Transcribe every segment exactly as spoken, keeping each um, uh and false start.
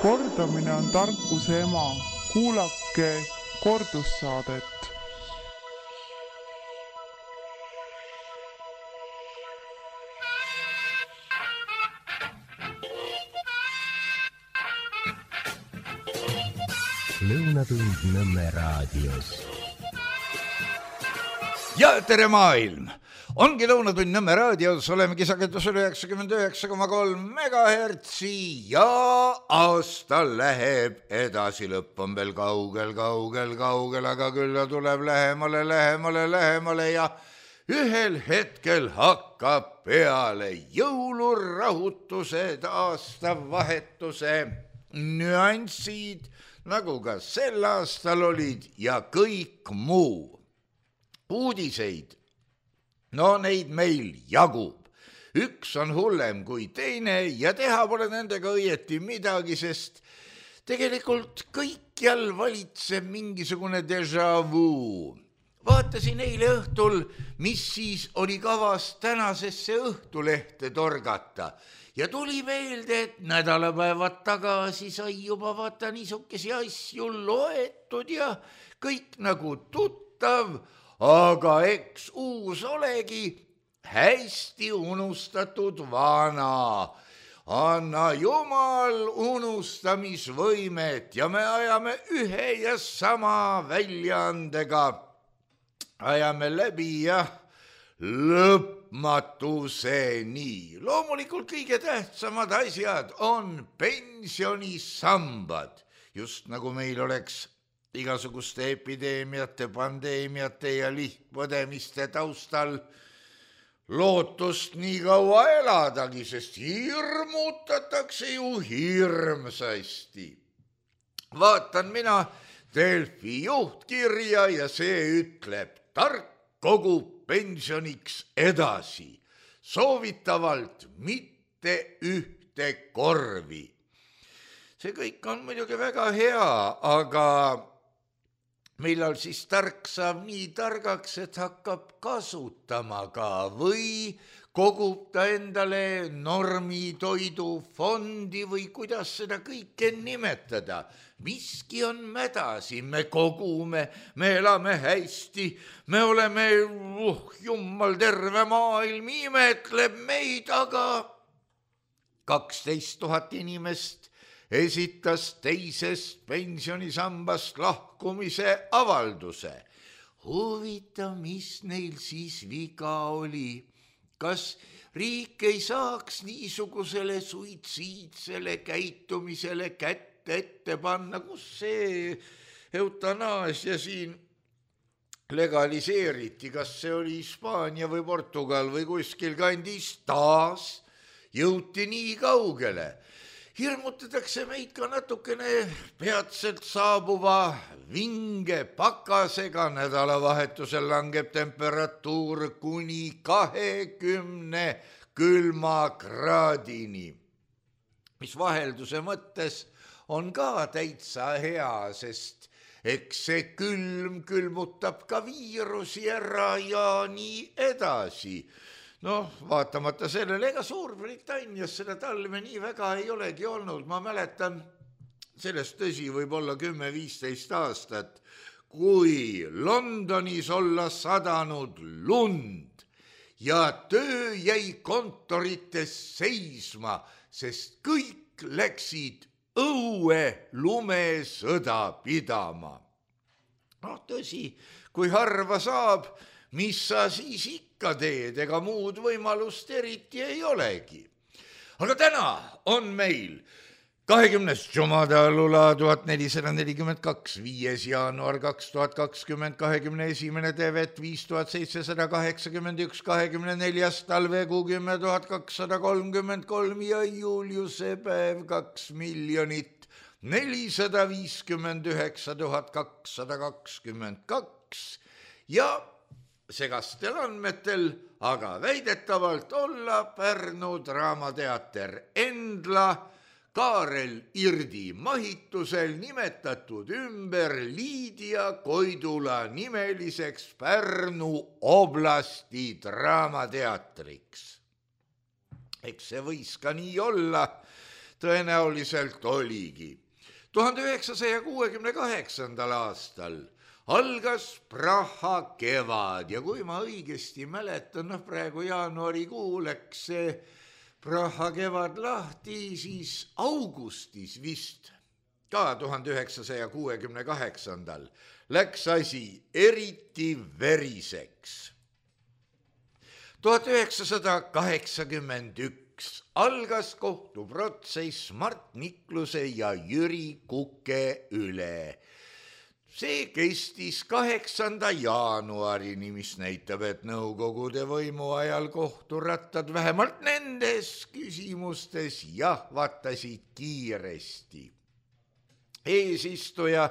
Kordamine on tarkuse ema. Kuulake kordussaadet. Lõunatund Nõmme raadios. Ja tere maailm! Ongi Lõunatund Nõmme raadios, olemegi sagedusel üheksakümmend üheksa koma kolm megahertsi ja aasta läheb edasi, lõpp on veel kaugel, kaugel, kaugel, aga küll ta tuleb lähemale, lähemale, lähemale ja ühel hetkel hakkab peale jõulurahutused, aastavahetuse nüansid, nagu ka sel aastal olid ja kõik muu. Uudiseid, no neid meil jagub. Üks on hullem kui teine ja teha pole nendega õieti midagi, sest tegelikult kõikjal valitseb mingisugune déjà vu. Vaatasin eile õhtul, mis siis oli kavas tänasesse õhtulehte torgata. Ja tuli meelde, et nädalapäevad tagasi sai juba vaata niisugesi asju loetud ja kõik nagu tuttav, aga eks uus olegi hästi unustatud vana. Anna Jumal unustamisvõimet ja me ajame ühe ja sama väljaandega. Ajame läbi ja lõpmatuseni. Loomulikult kõige tähtsamad asjad on pensionisambad, just nagu meil oleks igasuguste epideemiate, pandeemiate ja lihtpõdemiste taustal lootust nii kaua eladagi, sest hirmutatakse ju hirmsasti. Vaatan mina Delfi juhtkirja ja see ütleb, tark kogub pensioniks edasi, soovitavalt mitte ühte korvi. See kõik on muidugi väga hea, aga millal siis tark saab nii targaks, et hakkab kasutama ka või kogub ta endale normitoidufondi või kuidas seda kõike nimetada. Miski on mädasi, me kogume, me elame hästi, me oleme, uh, jummal terve maailm imetleb meid, aga kaksteist tuhat inimest esitas teisest pensionisambast lahkumise avalduse. Huvitav, mis neil siis viga oli? Kas riik ei saaks niisugusele suitsiidsele käitumisele kätte ette panna, kus see eutanaasia siin legaliseeriti, kas see oli Hispaania või Portugal või kuskil kandis, taas jõuti nii kaugele. Hirmutatakse meid ka natukene peatselt saabuva vinge pakasega, nädalavahetusel langeb temperatuur kuni kahekümne külma kraadini, mis vahelduse mõttes on ka täitsa hea, sest eks see külm külmutab ka viirusi ära ja nii edasi. Noh, vaatamata sellele, ega Suurbritannias seda talve nii väga ei olegi olnud. Ma mäletan, sellest tõsi võib olla kümme viisteist aastat, kui Londonis olla sadanud lund ja töö jäi kontorites seisma, sest kõik läksid õue lumesõda pidama. No tõsi, kui harva saab, mis sa siis ikka teed, ega muud võimalust eriti ei olegi. Aga täna on meil kahekümnes Jumada Lula tuhat nelisada nelikümmend kaks, viies jaanuar kaks tuhat kakskümmend, kahekümne esimene Tevet viis tuhat seitsesada kaheksakümmend üks, kahekümne neljas talvekuu kümme tuhat kakssada kolmkümmend kolm ja Juliuse päev kaks miljonit nelisada viiskümmend üheksa tuhat kakssada kakskümmend kaks ja segastel andmetel, aga väidetavalt olla Pärnu Draamateater Endla Kaarel Irdi mahitusel nimetatud ümber Liidia Koidula nimeliseks Pärnu oblasti draamateatriks. Eks see võis ka nii olla, tõenäoliselt oligi. tuhande üheksasaja kuuekümne kaheksandal aastal algas Praha kevad ja kui ma õigesti mäletan, noh praegu jaanuarikuu läks see Praha kevad lahti, siis augustis vist ka tuhande üheksasaja kuuekümne kaheksandal läks asi eriti veriseks. tuhat üheksasada kaheksakümmend üks algas kohtuprotsess Mart Nikluse ja Jüri Kuke üle. See kestis kaheksanda jaanuarini, mis näitab, et nõukogude võimu ajal kohturattad vähemalt nendes küsimustes jahvatasid kiiresti. Eesistuja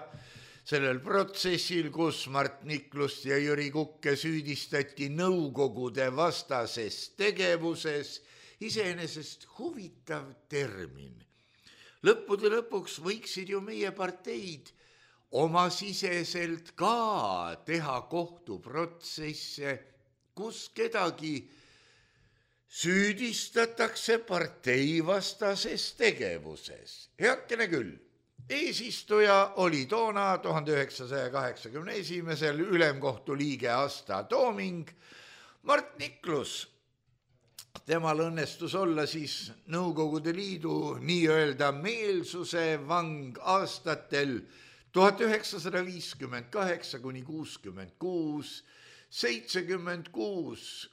sellel protsessil, kus Mart Niklust ja Jüri Kukke süüdistati nõukogude vastases tegevuses, iseenesest huvitav termin. Lõppude lõpuks võiksid ju meie parteid oma siseselt ka teha kohtuprotsesse, kus kedagi süüdistatakse parteivastases tegevuses. Heakene küll. Eesistuja oli toona tuhande üheksasaja kaheksakümne esimesel ülemkohtu liige Asta Tooming. Mart Niklus, temal õnnestus olla siis Nõukogude Liidu nii-öelda meelsuse vang aastatel tuhat üheksasada viiskümmend kaheksa kuni kuuskümmend kuus, seitsekümmend kuus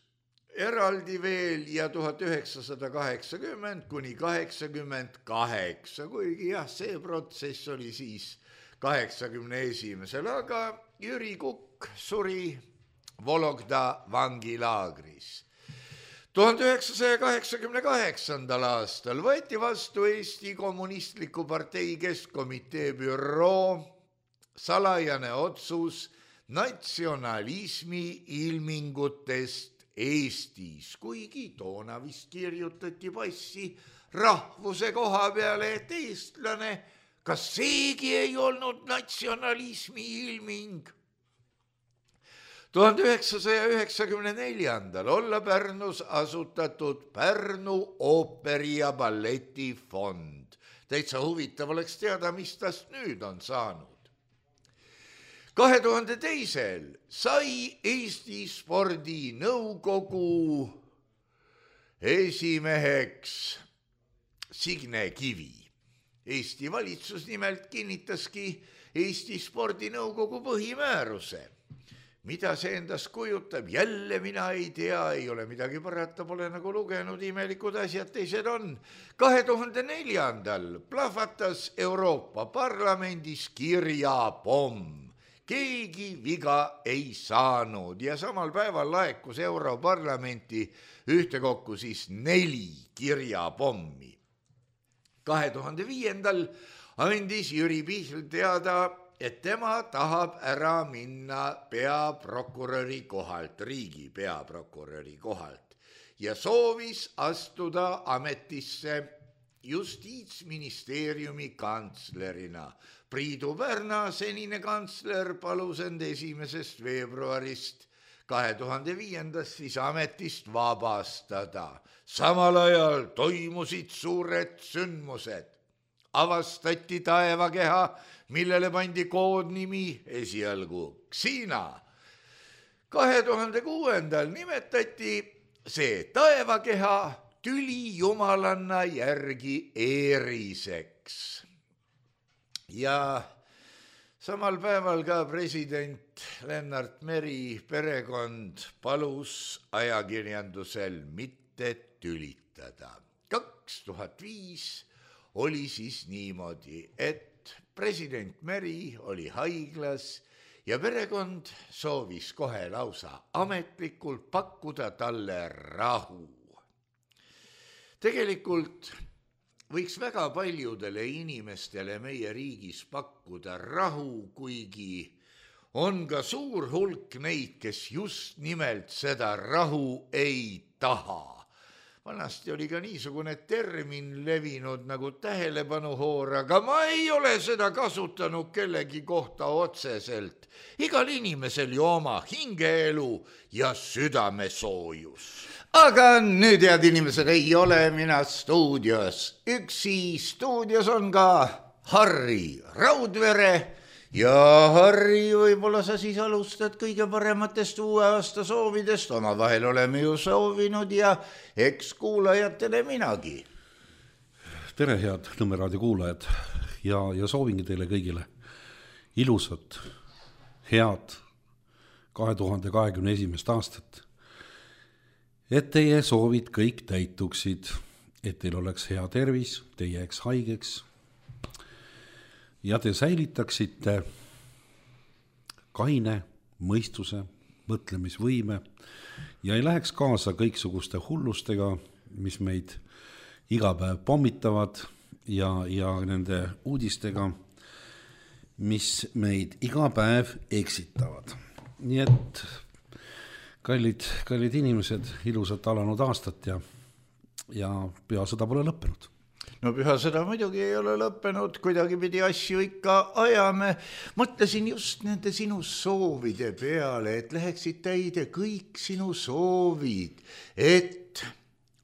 eraldi veel ja tuhat üheksasada kaheksakümmend kuni kaheksakümmend kaheksa, kuigi jah, see protsess oli siis kaheksakümne esimesel, aga Jüri Kukk suri Vologda vangilaagris. tuhande üheksasaja kaheksakümne kaheksandal aastal võeti vastu Eesti Kommunistliku Partei Keskkomitee büroo salajane otsus natsionalismi ilmingutest Eestis, kuigi toona vist kirjutati passi rahvuse koha peale, et eestlane, kas seegi ei olnud natsionalismi ilming? tuhande üheksasaja üheksakümne neljandal olla Pärnus asutatud Pärnu ooperi- ja balletifond. Täitsa huvitav oleks teada, mis tast nüüd on saanud. kahe tuhande teisel sai Eesti spordinõukogu esimeheks Signe Kivi. Eesti valitsus nimelt kinnitaski Eesti spordinõukogu põhimääruse. Mida see endast kujutab, jälle mina ei tea, ei ole midagi parata, pole nagu lugenud, imelikud asjad teised on. kahe tuhande neljandal plahvatas Euroopa Parlamendis kirjapomm. Keegi viga ei saanud ja samal päeval laekus Europarlamenti ühtekokku siis neli kirjapommi. kahe tuhande viiendal andis Jüri Pihl teada, et tema tahab ära minna peaprokuröri kohalt, riigi peaprokuröri kohalt ja soovis astuda ametisse Justiitsministeeriumi kantslerina. Priidu Pärna, senine kantsler, palus end esimesest veebruarist kahe tuhande viiendast siis ametist vabastada. Samal ajal toimusid suured sündmused. Avastati taevakeha, millele pandi koodnimi esialgu Xiina. kahe tuhande kuuendal nimetati see taevakeha tüli jumalanna järgi Eeriseks. Ja samal päeval ka president Lennart Meri perekond palus ajakirjandusel mitte tülitada. kaks tuhat viis oli siis niimoodi, et president Meri oli haiglas ja perekond soovis kohe lausa ametlikult pakkuda talle rahu. Tegelikult võiks väga paljudele inimestele meie riigis pakkuda rahu, kuigi on ka suur hulk neid, kes just nimelt seda rahu ei taha. Vanasti oli ka niisugune termin levinud nagu tähelepanuhoor, aga ma ei ole seda kasutanud kellegi kohta otseselt. Igal inimesel ju oma hingeelu ja südamesoojus. aga nüüd, head inimesed, ei ole mina stuudios. Üksi stuudios on ka Harri Raudvere ja Harri, võib-olla sa siis alustad kõige parematest uue aasta soovidest. Oma vahel oleme ju soovinud ja eks kuulajatele minagi. Tere, head Nõmme raadio kuulajad ja, ja soovingi teile kõigile ilusat, head kahe tuhande kahekümne esimest aastat. Et teie soovid kõik täituksid, et teil oleks hea tervis, te jääks haigeks ja te säilitaksite kaine mõistuse, mõtlemisvõime ja ei läheks kaasa kõiksuguste hullustega, mis meid iga päev pommitavad ja, ja nende uudistega, mis meid iga päev eksitavad. Nii et kallid, kallid inimesed, ilusat alanud aastat ja, ja pühasõda pole lõppenud. No pühasõda muidugi ei ole lõppenud, kuidagi pidi asju ikka ajame. Mõtlesin just nende sinu soovide peale, et läheksid täide kõik sinu soovid, et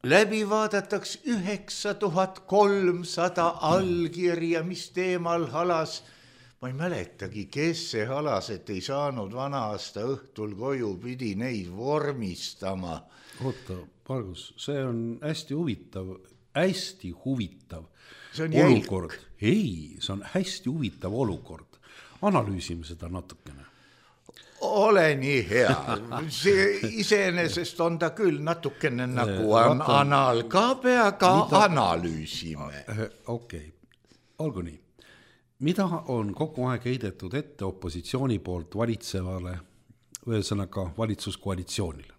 läbi vaadataks üheksa tuhat kolmsada allkirja, mis teemal halas. Ma ei mäletagi, kes see halas, et ei saanud vana aasta õhtul koju, pidi neid vormistama. Oota, Margus, see on hästi huvitav, hästi huvitav olukord. Ei, see on hästi huvitav olukord. Analüüsime seda natukene. Ole nii hea. See iseenesest on ta küll natukene nagu on anal ka peaga, analüüsime. Okei, olgu nii. Mida on kogu aeg heidetud ette opositsiooni poolt valitsevale, ühesõnaga valitsuskoalitsioonile?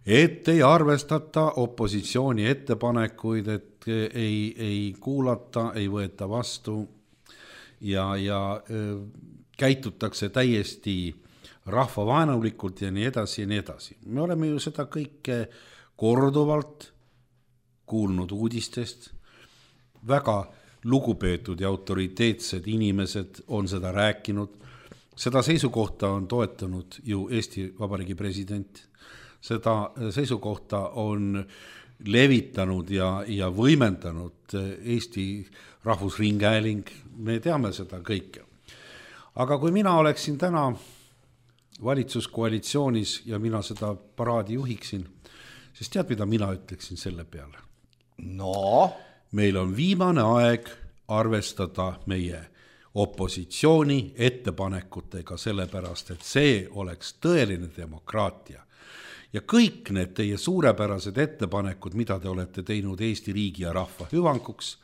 Et ei arvestata opositsiooni ettepanekuid, et ei, ei kuulata, ei võeta vastu ja, ja käitutakse täiesti rahvavaenulikult ja nii edasi ja nii edasi. Me oleme ju seda kõike korduvalt kuulnud uudistest. Väga lugupeetud ja autoriteetsed inimesed on seda rääkinud. Seda seisukohta on toetanud ju Eesti Vabariigi president. Seda seisukohta on levitanud ja, ja võimendanud Eesti Rahvusringhääling. Me teame seda kõike. Aga kui mina oleksin täna valitsuskoalitsioonis ja mina seda paraadi juhiksin, siis tead, mida mina ütleksin selle peale? No? Meil on viimane aeg arvestada meie opositsiooni ettepanekutega, sellepärast, et see oleks tõeline demokraatia. Ja kõik need teie suurepärased ettepanekud, mida te olete teinud Eesti riigi ja rahva hüvanguks,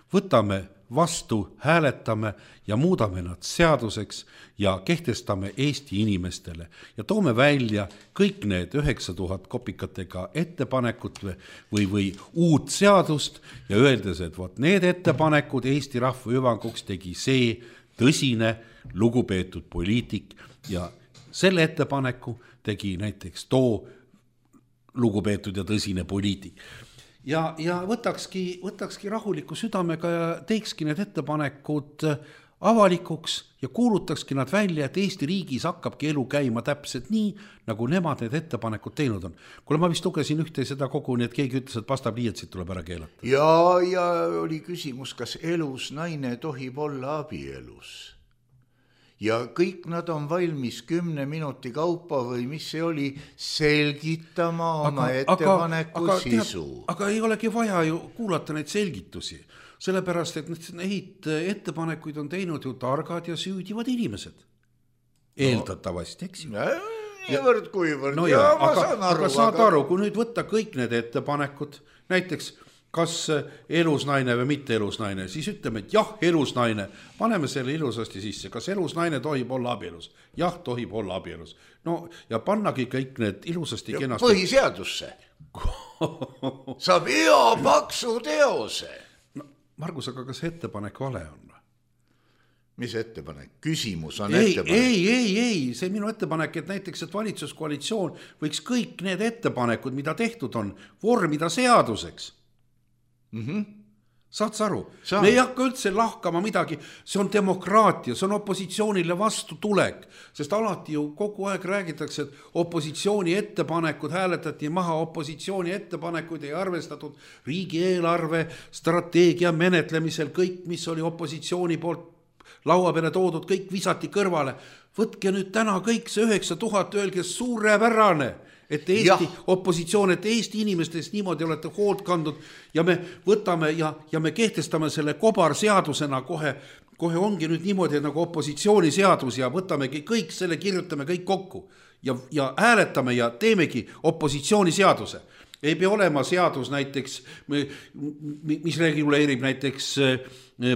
võtame vastu, hääletame ja muudame nad seaduseks ja kehtestame Eesti inimestele ja toome välja kõik need üheksa tuhat kopikatega ettepanekut või, või uut seadust ja öeldes, et võt, need ettepanekud Eesti rahva hüvanguks tegi see tõsine lugupeetud poliitik ja selle ettepaneku tegi näiteks too lugupeetud ja tõsine poliitik. Ja, ja võtakski, võtakski rahuliku südamega ja teekski need ettepanekud avalikuks ja kuulutakski nad välja, et Eesti riigis hakkabki elu käima täpselt nii, nagu nemad need ettepanekud teinud on. Kuule, ma vist lugesin ühte seda kogu, nii et keegi ütles, et pastapliiatsid tuleb ära keelata. Ja, ja oli küsimus, kas elus naine tohib olla abielus. Ja kõik nad on valmis kümne minuti kaupa või mis see oli, selgitama oma aga, ettepaneku aga, sisu. Aga, aga ei olegi vaja ju kuulata neid selgitusi, sellepärast, et neid ettepanekuid on teinud ju targad ja süüdivad inimesed. Eeldatavasti, eks ju. Niivõrd kuivõrd. No ja, ja aga, aru, aga saad aga... aru, kui nüüd võtta kõik need ettepanekud, näiteks kas elusnaine või mitte elusnaine, siis ütleme, et jah, elusnaine, paneme selle ilusasti sisse, kas elusnaine tohib olla abielus? Jah, tohib olla abielus. No ja pannagi kõik need ilusasti ja kenasti. Põhiseadusse. Saab hea paksu teose. No, Margus, aga kas ettepanek vale on? Mis ettepanek? Küsimus on ei, ettepanek. Ei, ei, ei, see minu ettepanek, et näiteks, et valitsuskoalitsioon võiks kõik need ettepanekud, mida tehtud on, vormida seaduseks. Mm-hmm. Saad sa aru? Saan. Me ei hakka üldse lahkama midagi, see on demokraatia, see on opositsioonile vastu tulek, sest alati ju kogu aeg räägitakse, et opositsiooni ettepanekud hääletati maha, opositsiooni ettepanekuid ei arvestatud riigieelarve strateegia menetlemisel, kõik, mis oli opositsiooni poolt laua peale toodud, kõik visati kõrvale. Võtke nüüd täna kõik see üheksa tuhat, öelge suurepärane, et Eesti ja. opositsioon, et Eesti inimestest niimoodi olete hoolt kandnud ja me võtame ja, ja me kehtestame selle kobarseadusena kohe, kohe ongi nüüd niimoodi nagu opositsiooniseadus ja võtamegi kõik selle, kirjutame kõik kokku ja, ja hääletame ja teemegi opositsiooniseaduse. Ei pea olema seadus näiteks, mis reguleerib näiteks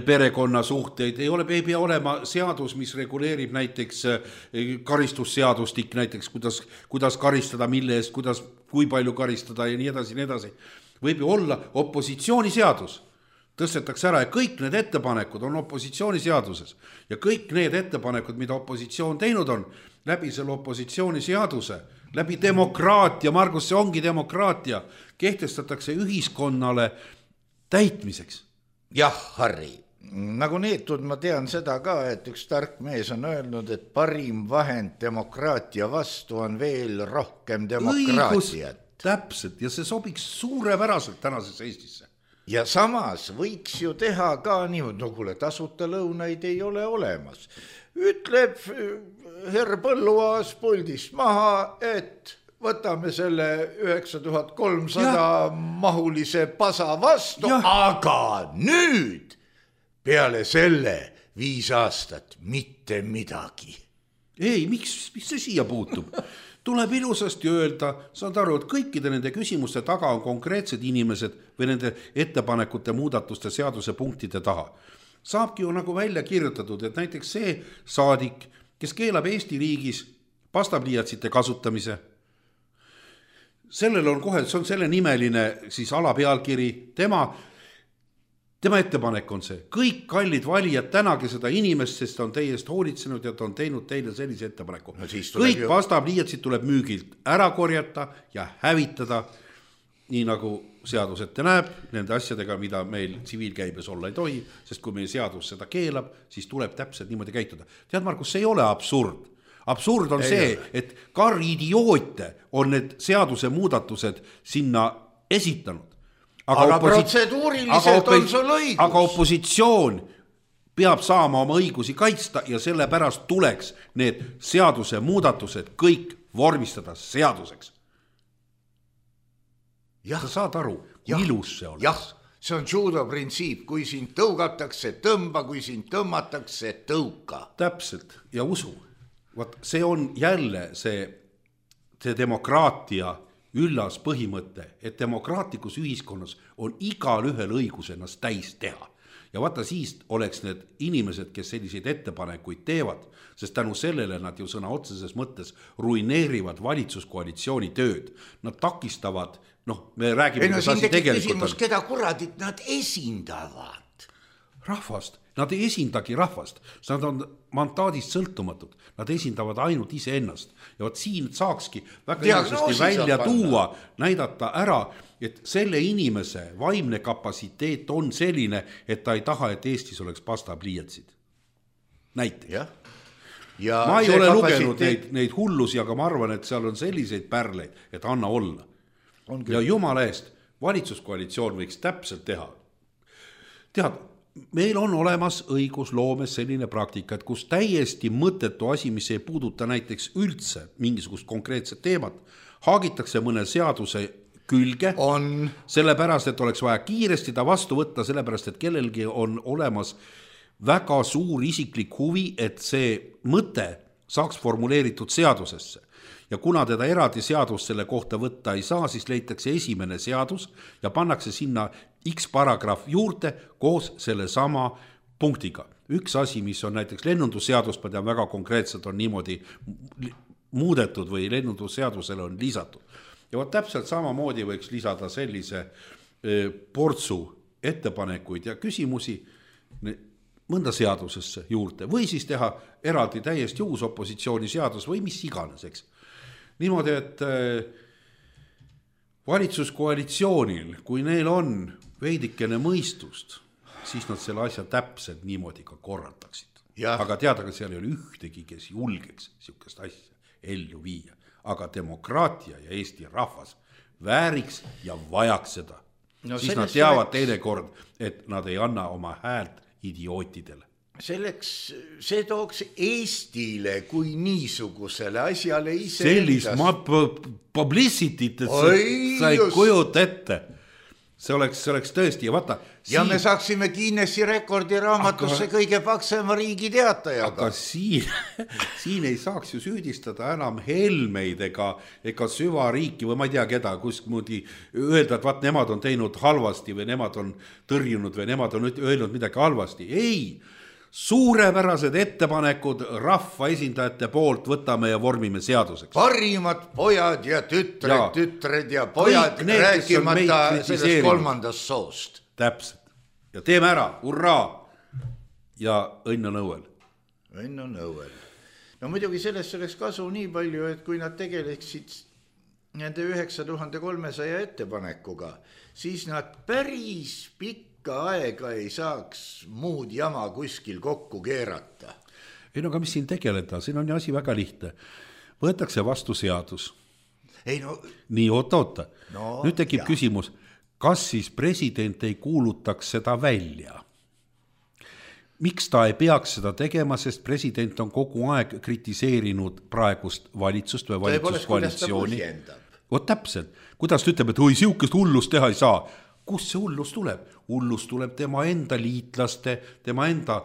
perekonna suhteid, ei, ole, ei pea olema seadus, mis reguleerib näiteks karistusseadustik, näiteks kuidas, kuidas karistada, mille eest, kuidas, kui palju karistada ja nii edasi, nii edasi. Võib ju olla opositsiooniseadus, tõstetakse ära ja kõik need ettepanekud on opositsiooniseaduses ja kõik need ettepanekud, mida opositsioon teinud on, läbi selle opositsiooniseaduse, läbi demokraatia, Margus, see ongi demokraatia, kehtestatakse ühiskonnale täitmiseks. Jah, Harri, nagu neetud ma tean seda ka, et üks tark mees on öelnud, et parim vahend demokraatia vastu on veel rohkem demokraatiat. Täpselt, ja see sobiks suurepäraselt tänases Eestisse. Ja samas võiks ju teha ka niimoodi, no kuule, tasuta lõunaid ei ole olemas. Ütleb herr Põlluaas puldist maha, et võtame selle üheksa tuhat kolmsada mahulise pasa vastu, ja. Aga nüüd peale selle viis aastat mitte midagi. Ei, miks, miks see siia puutub? Tuleb ilusasti öelda, saad aru, et kõikide nende küsimuste taga on konkreetsed inimesed või nende ettepanekute muudatuste seaduse punktide taha. Saabki ju nagu välja kirjutatud, et näiteks see saadik, kes keelab Eesti riigis pastapliiatsite kasutamise, sellel on kohe, see on selle nimeline siis alapealkiri, tema, tema ettepanek on see, kõik kallid valijad tänage seda inimest, sest on teie eest hoolitsenud ja ta on teinud teile sellise ettepaneku. No kõik ju... pastapliiatsid tuleb müügilt ära korjata ja hävitada, nii nagu seadus ette näeb, nende asjadega, mida meil tsiviilkäibes olla ei tohi, sest kui meie seadus seda keelab, siis tuleb täpselt niimoodi käituda. Tead, Markus, see ei ole absurd. Absurd on ei see, ole. Et kar idioote on need seaduse muudatused sinna esitanud. Aga, aga oposi... protseduuriliselt aga opos... on sul õigus. Aga opositsioon peab saama oma õigusi kaitsta ja sellepärast tuleks need seaduse muudatused kõik vormistada seaduseks. Ja. Sa saad aru, kui ilus see oleks. Jah, see on judo printsiip, kui sind tõugatakse, tõmba, kui sind tõmmatakse, tõuka. Täpselt, ja usu. Vaat, see on jälle see, see demokraatia üllas põhimõte, et demokraatlikus ühiskonnas on igal ühel õigus ennast täis teha. Ja vaata, siis oleks need inimesed, kes selliseid ettepanekuid teevad, sest tänu sellele nad ju sõna otseses mõttes ruineerivad valitsuskoalitsiooni tööd. Nad takistavad, noh, me räägime... Ei, no siin tekib küsimus, keda kuradit nad esindavad? Rahvast. Nad ei esindagi rahvast. Nad on mandaadist sõltumatud. Nad esindavad ainult ise ennast. Ja vaat siin saakski väga ilusasti välja tuua, näidata ära, et selle inimese vaimne kapatsiteet on selline, et ta ei taha, et Eestis oleks pastapliiatsid. Näiteks. Ja. Ja ma ei ole kapatsiteet... lugenud neid, neid hullusi, aga ma arvan, et seal on selliseid pärleid, et anna olla. Ja jumala eest, valitsuskoalitsioon võiks täpselt teha. Tead, meil on olemas õigusloomes selline praktika, et kus täiesti mõttetu asi, mis ei puuduta näiteks üldse mingisugust konkreetset teemat, haagitakse mõne seaduse külge, on. Sellepärast, et oleks vaja kiiresti ta vastu võtta, sellepärast, et kellelgi on olemas väga suur isiklik huvi, et see mõte saaks formuleeritud seadusesse. Ja kuna teda eraldi seadus selle kohta võtta ei saa, siis leitakse esimene seadus ja pannakse sinna X paragrahv juurde koos selle sama punktiga. Üks asi, mis on näiteks lennundusseadus, ma tean väga konkreetselt on niimoodi muudetud või lennundusseadusele on lisatud. Ja võt täpselt samamoodi võiks lisada sellise portsu ettepanekuid ja küsimusi mõnda seadusesse juurde või siis teha eraldi täiesti uus opositsiooniseadus või mis iganes, eks. Niimoodi, et valitsuskoalitsioonil, kui neil on veidikene mõistust siis nad selle asja täpselt niimoodi ka korraldaksid. Ja. Aga teada, ka seal ei ole ühtegi, kes julgeks niisugust asja ellu viia. Aga demokraatia ja Eesti rahvas vääriks ja vajaks seda. No, siis nad teavad selleks... teinekord, et nad ei anna oma häält idiootidele. Selleks, see tooks Eestile kui niisugusele asjale ise sellist ma publicity't, et Oi, sa ei kujuta ette. See oleks, see oleks tõesti ja vaata. Ja siin... me saaksime Guinessi rekordi raamatusse aga... kõige paksema riigi teatajaga. Aga siin, siin ei saaks ju süüdistada enam Helmeid ega, ega süvariiki või ma ei tea keda, kuskmoodi öelda, et vaat nemad on teinud halvasti või nemad on tõrjunud või nemad on öelnud midagi halvasti. Ei, suurepärased ettepanekud rahva esindajate poolt võtame ja vormime seaduseks. Parimad pojad ja tütred, ja. tütred ja pojad need, rääkimata sellest kolmandast soost. Täpselt. Ja teeme ära, hurraa! Ja õnn on õuel. Õnn on õuel. No muidugi sellest oleks kasu nii palju, et kui nad tegeleksid nende üheksa tuhande kolmesaja ettepanekuga, siis nad päris pikk ka aega ei saaks muud jama kuskil kokku keerata. Ei no aga mis siin tegeleda, siin on ju asi väga lihtne. Võetakse vastu seadus. Ei no... Nii, oota, oota. No, nüüd tekib jah. Küsimus, kas siis president ei kuulutaks seda välja? Miks ta ei peaks seda tegema, sest president on kogu aeg kritiseerinud praegust valitsust või valitsuskoalitsiooni. Oot täpselt, kuidas ta ütleb, et oi, siukest hullust teha ei saa. Kus see hullus tuleb? Hullus tuleb tema enda liitlaste, tema enda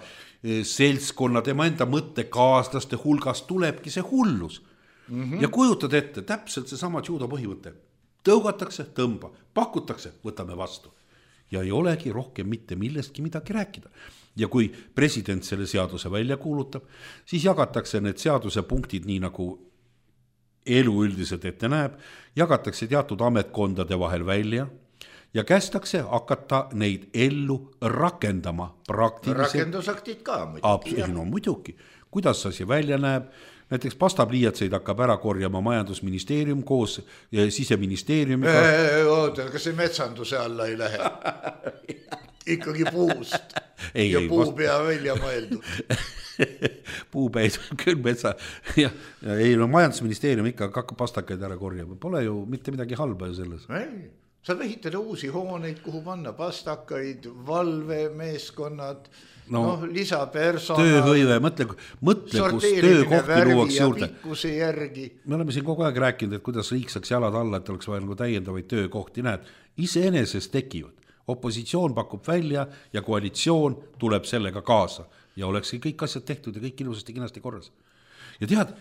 seltskonna, tema enda mõttekaaslaste hulgast tulebki see hullus. Mm-hmm. Ja kujutad ette, täpselt see sama judo põhimõte. Tõugatakse, tõmba, pakutakse, võtame vastu. Ja ei olegi rohkem mitte millestki midagi rääkida. Ja kui president selle seaduse välja kuulutab, siis jagatakse need seaduse punktid nii nagu elu üldiselt ette näeb, jagatakse teatud ametkondade vahel välja ja kästakse hakata neid ellu rakendama praktiliselt. Rakendusaktid ka muidugi. No muidugi. Kuidas see välja näeb? Näiteks pastapliiatseid hakkab ära korjama majandusministeerium koos siseministeeriumiga. Oota, kas see metsanduse alla ei lähe? Ikkagi puust. Ei, ja ei, puu pea välja mõeldud. Puupäid küll metsa. Ja, ja ei, no majandusministeerium ikka hakkab pastakaid ära korjama. Pole ju mitte midagi halba ju selles. Ei. Saab ehitada uusi hooneid, kuhu panna pastakaid, valvemeeskonnad, no, no lisapersonal. Tööhõive, mõtle, mõtle kus töökohti luuaks juurde. Järgi. Me oleme siin kogu aeg rääkinud, et kuidas riik saaks jalad alla, et oleks vaja nagu täiendavaid töökohti. Näed, iseenesest tekivad. Opositsioon pakub välja ja koalitsioon tuleb sellega kaasa. Ja olekski kõik asjad tehtud ja kõik ilusasti kinasti korras. Ja tead,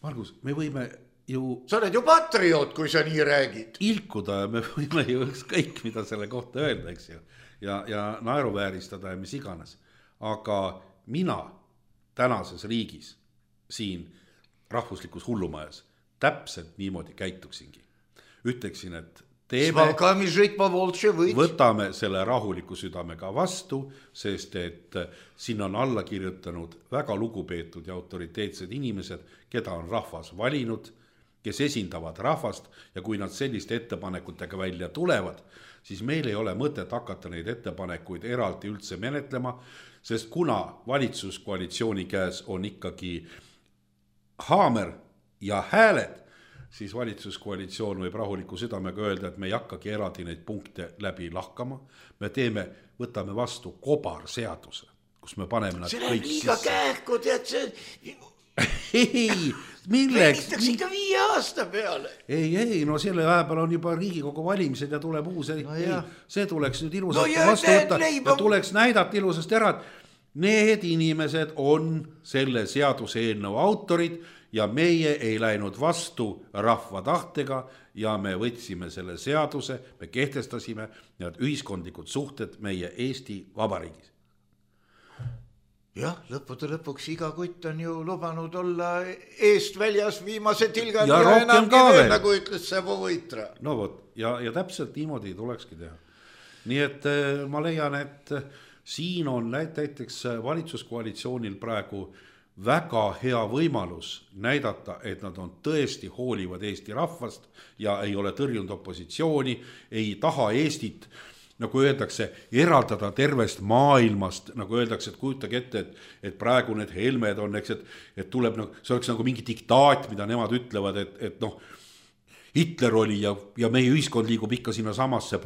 Margus, me võime... Ju, sa oled ju patrioot, kui sa nii räägid. Ilkuda ja me võime ju kõik, mida selle kohta öelda, eks ju. Ja, ja naeruvääristada ja mis iganes. Aga mina tänases riigis, siin rahvuslikus hullumajas, täpselt niimoodi käituksingi. Ütleksin, et teeme, võtame selle rahuliku südamega vastu, sest et siin on alla kirjutanud väga lugupeetud ja autoriteetsed inimesed, keda on rahvas valinud, kes esindavad rahvast ja kui nad selliste ettepanekutega välja tulevad, siis meil ei ole mõtet hakata neid ettepanekuid eraldi üldse menetlema, sest kuna valitsuskoalitsiooni käes on ikkagi haamer ja hääled, siis valitsuskoalitsioon võib rahuliku südamega öelda, et me ei hakkagi eraldi neid punkte läbi lahkama. Me teeme, võtame vastu kobarseaduse, kus me paneme nad see kõik sisse. See on liiga kähku, tead see... ei, milleks? Venitaks ikka viie aasta peale. Ei, ei, no selle ajapäeval on juba Riigikogu valimised ja tuleb uus. No ei, see tuleks nüüd ilusasti no vastu võtta ja tuleks näidata ilusasti ära, et need inimesed on selle seaduse eelnõu autorid ja meie ei läinud vastu rahva tahtega ja me võtsime selle seaduse, me kehtestasime need ühiskondlikud suhted meie Eesti Vabariigis. Jah, lõppude lõpuks iga kutt on ju lubanud olla eest väljas viimase tilgani ja, ja enamgi veel, nagu ütles Sebo Võitra. No võt, ja, ja täpselt niimoodi tulekski teha. Nii et ma leian, et siin on näiteks valitsuskoalitsioonil praegu väga hea võimalus näidata, et nad on tõesti hoolivad Eesti rahvast ja ei ole tõrjunud opositsiooni, ei taha Eestit nagu öeldakse, eraldada tervest maailmast, nagu öeldakse, et kujutage ette, et, et praegu need Helmed on, eks, et, et tuleb, no, see oleks nagu mingi diktaat, mida nemad ütlevad, et, et noh, Hitler oli ja, ja meie ühiskond liigub ikka sinna samasse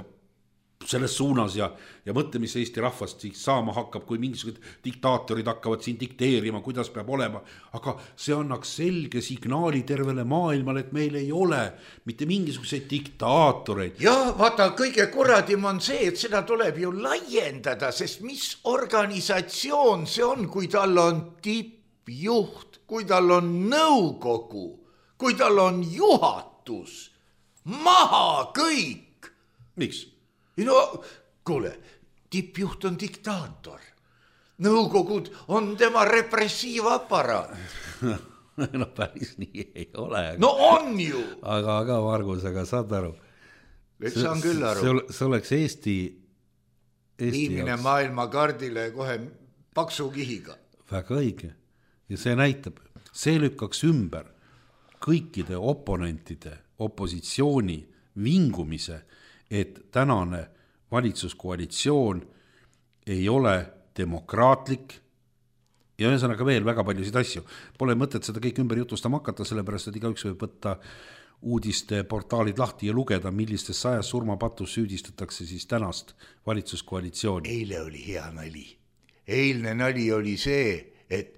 selles suunas ja, ja mõtle, mis Eesti rahvast siis saama hakkab, kui mingisugused diktaatorid hakkavad siin dikteerima, kuidas peab olema, aga see annaks selge signaali tervele maailmale, et meil ei ole mitte mingisuguseid diktaatoreid. Ja vaata, kõige kurradim on see, et seda tuleb ju laiendada, sest mis organisatsioon see on, kui tal on tippjuht, kui tal on nõukogu, kui tal on juhatus, maha kõik. Miks? No kuule, tippjuht on diktaator. Nõukogud on tema repressiivaparaat. No päris nii ei ole. No on ju. Aga, aga Margus, aga saad aru. Et saan küll aru. See oleks Eesti, Eesti viimine maailmakaardile kohe paksu kihiga. Väga õige. Ja see näitab, see lükkaks ümber kõikide oponentide, opositsiooni vingumise, et tänane valitsuskoalitsioon ei ole demokraatlik ja ühesõnaga veel väga paljusid asju. Pole mõtet seda kõik ümber jutustama hakata, sellepärast, et igaüks võib võtta uudiste portaalid lahti ja lugeda, millistes sajas surmapatus süüdistatakse siis tänast valitsuskoalitsiooni. Eile oli hea nali. Eilne nali oli see, et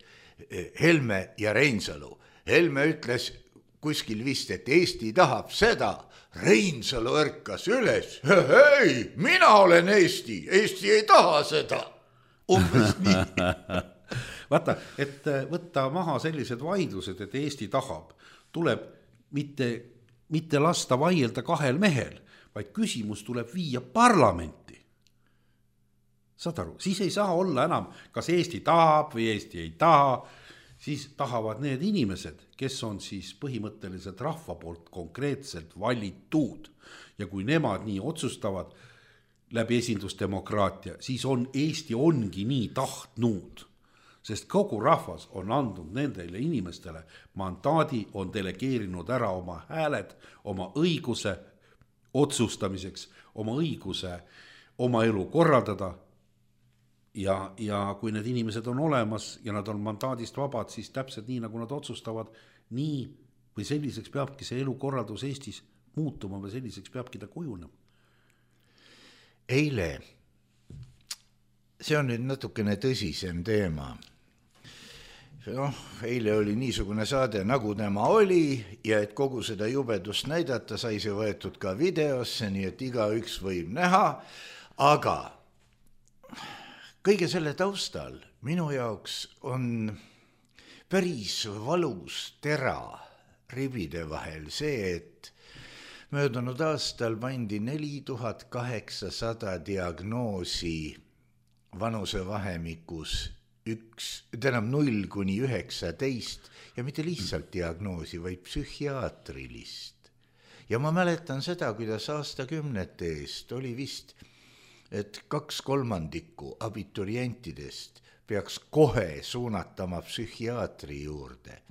Helme ja Reinsalu. Helme ütles kuskil vist, et Eesti tahab seda. Reinsalu ärkas üles. Hei, mina olen Eesti. Eesti ei taha seda. Umbes nii. Vaata, et võtta maha sellised vaidlused, et Eesti tahab, tuleb mitte, mitte lasta vaielda kahel mehel, vaid küsimus tuleb viia parlamenti. Saad aru, siis ei saa olla enam, kas Eesti tahab või Eesti ei taha, siis tahavad need inimesed, kes on siis põhimõtteliselt rahva poolt konkreetselt valitud. Ja kui nemad nii otsustavad läbi esindusdemokraatia, siis on Eesti ongi nii tahtnud. Sest kogu rahvas on andnud nendele inimestele mandaadi, on delegeerinud ära oma hääled, oma õiguse otsustamiseks, oma õiguse oma elu korraldada. Ja, ja kui need inimesed on olemas ja nad on mandaadist vabad, siis täpselt nii, nagu nad otsustavad, nii või selliseks peabki see elukorraldus Eestis muutuma või selliseks peabki ta kujunema. Eile, see on nüüd natukene tõsisem teema. No, eile oli niisugune saade, nagu tema oli ja et kogu seda jubedust näidata, sai see võetud ka videosse, nii et igaüks võib näha, aga kõige selle taustal minu jaoks on päris valus tera ribide vahel see, et möödunud aastal pandi neli tuhat kaheksasada diagnoosi vanusevahemikus üks, tähendab null kuni üheksateist ja mitte lihtsalt diagnoosi, vaid psühhiaatrilist. Ja ma mäletan seda, kuidas aastakümnete eest oli vist et kaks kolmandikku abiturientidest peaks kohe suunatama psühhiaatri juurde.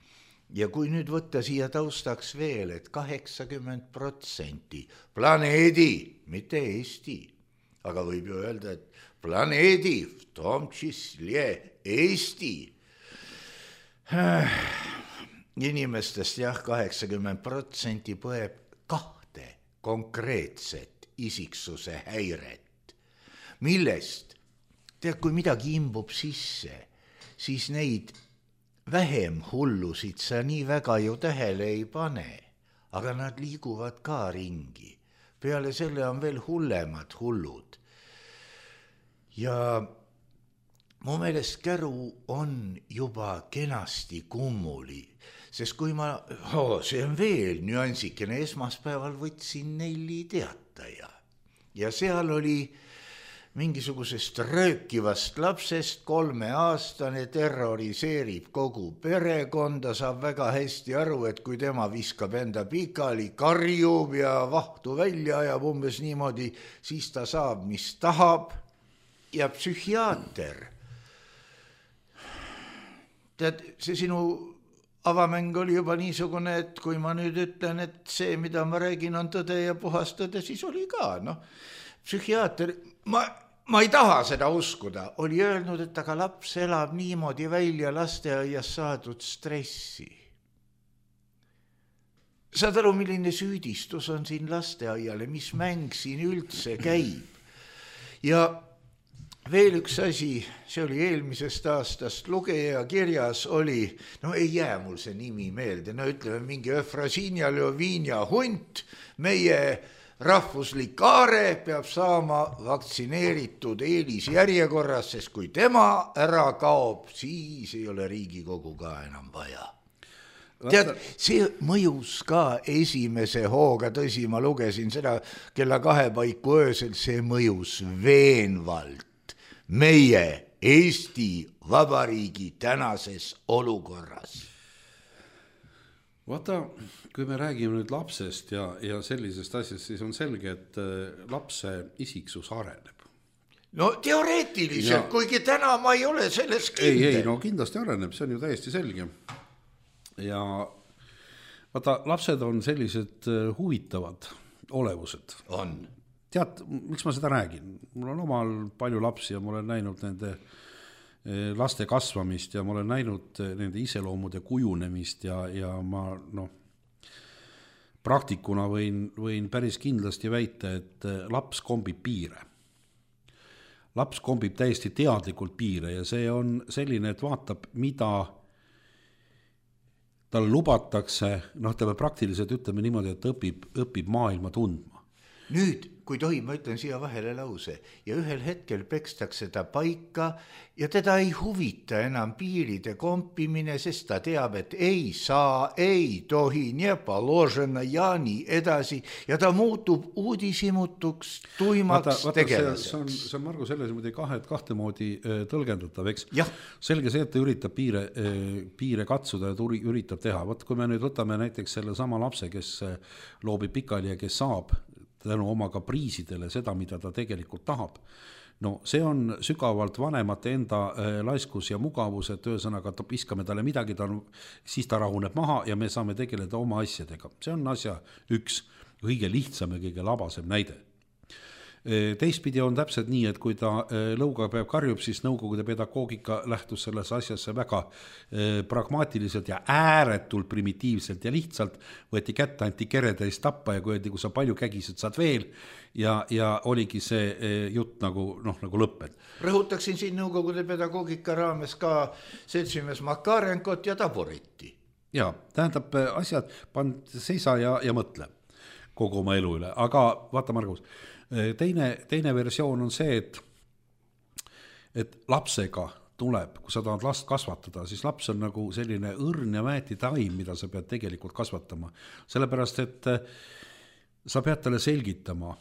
Ja kui nüüd võtta siia taustaks veel, et kaheksakümmend protsenti planeedi, mitte Eesti, aga võib ju öelda, et planeedi, v tom čísle Eesti inimestest jah, kaheksakümmend protsenti põeb kahte konkreetset isiksuse häiret. Millest, tead, kui midagi imbub sisse, siis neid vähem hullusid sa nii väga ju tähele ei pane, aga nad liiguvad ka ringi. Peale selle on veel hullemad hullud. Ja mu meelest käru on juba kenasti kummuli, sest kui ma, oh, see on veel nüansikene, esmaspäeval võtsin Nelli teataja ja seal oli mingisugusest röökivast lapsest kolmeaastane terroriseerib kogu perekonda, saab väga hästi aru, et kui tema viskab enda pikali, karjub ja vahtu välja ajab umbes niimoodi, siis ta saab, mis tahab ja psühhiaater. Tead, see sinu avamäng oli juba niisugune, et kui ma nüüd ütlen, et see, mida ma räägin, on tõde ja puhas tõde, siis oli ka, noh. psühhiaater, ma, ma ei taha seda uskuda, oli öelnud, et aga laps elab niimoodi välja lasteaias saadud stressi. Saad aru, milline süüdistus on siin lasteaiale, mis mäng siin üldse käib. Ja veel üks asi, see oli eelmisest aastast, lugeja kirjas oli, no ei jää mul see nimi meelde, no ütleme mingi Efrasinia Ljovinja hunt, meie rahvuslik aare peab saama vaktsineeritud eelisjärjekorras, sest kui tema ära kaob, siis ei ole Riigikogu ka enam vaja. Tead, see mõjus ka esimese hooga, tõsi, ma lugesin seda kella kahe paiku öösel, see mõjus veenvalt meie Eesti Vabariigi tänases olukorras. Vaata, kui me räägime nüüd lapsest ja, ja sellisest asjast, siis on selge, et lapse isiksus areneb. No teoreetiliselt, ja... kuigi täna ma ei ole selles kindel. Ei, ei, no kindlasti areneb, see on ju täiesti selge. Ja vaata, lapsed on sellised huvitavad olevused. On. Tead, miks ma seda räägin? Mul on omal palju lapsi ja ma olen näinud nende laste kasvamist ja ma olen näinud nende iseloomude kujunemist ja, ja ma no, praktikuna võin, võin päris kindlasti väita, et laps kombib piire. Laps kombib täiesti teadlikult piire ja see on selline, et vaatab, mida tal lubatakse, noh, ta praktiliselt ütleme niimoodi, et õpib, õpib maailma tundma. Nüüd, kui tohi, ma ütlen siia vahele lause ja ühel hetkel pekstakse ta paika ja teda ei huvita enam piiride kompimine, sest ta teab, et ei saa, ei tohi, nie paložena ja nii edasi ja ta muutub uudisimutuks tuimaks vaata, vaata, tegelaseks. See on, see on Margo selles muidugi kahe, kahte moodi tõlgendatav, eks? Ja. Selge see, et ta üritab piire, piire katsuda ja turi, üritab teha. Vaat kui me nüüd võtame näiteks selle sama lapse, kes loobib pikali ja kes saab tänu oma kapriisidele seda, mida ta tegelikult tahab. No see on sügavalt vanemate enda laiskus ja mugavus, et ühesõnaga viskame talle midagi, ta on, siis ta rahuneb maha ja me saame tegeleda oma asjadega. See on asja üks kõige lihtsam ja kõige labasem näide. Teistpidi on täpselt nii, et kui ta lõuga peab karjub, siis nõukogude pedagoogika lähtus selles asjasse väga pragmaatiliselt ja ääretult primitiivselt ja lihtsalt võeti kätte anti keretäis tappa ja kui öeldi, kui sa palju kägised, saad veel ja, ja oligi see jutt nagu, noh, nagu lõpped. Rõhutaksin siin nõukogude pedagoogika raames ka seltsimees Makarenkot ja Taboriti. Ja, tähendab asjad, pand seisa ja, ja mõtle kogu oma elu üle, aga vaata Margus, Teine, teine versioon on see, et, et lapsega tuleb, kui sa tahad last kasvatada, siis laps on nagu selline õrn ja mäeti taim, mida sa pead tegelikult kasvatama. Sellepärast, et sa pead talle selgitama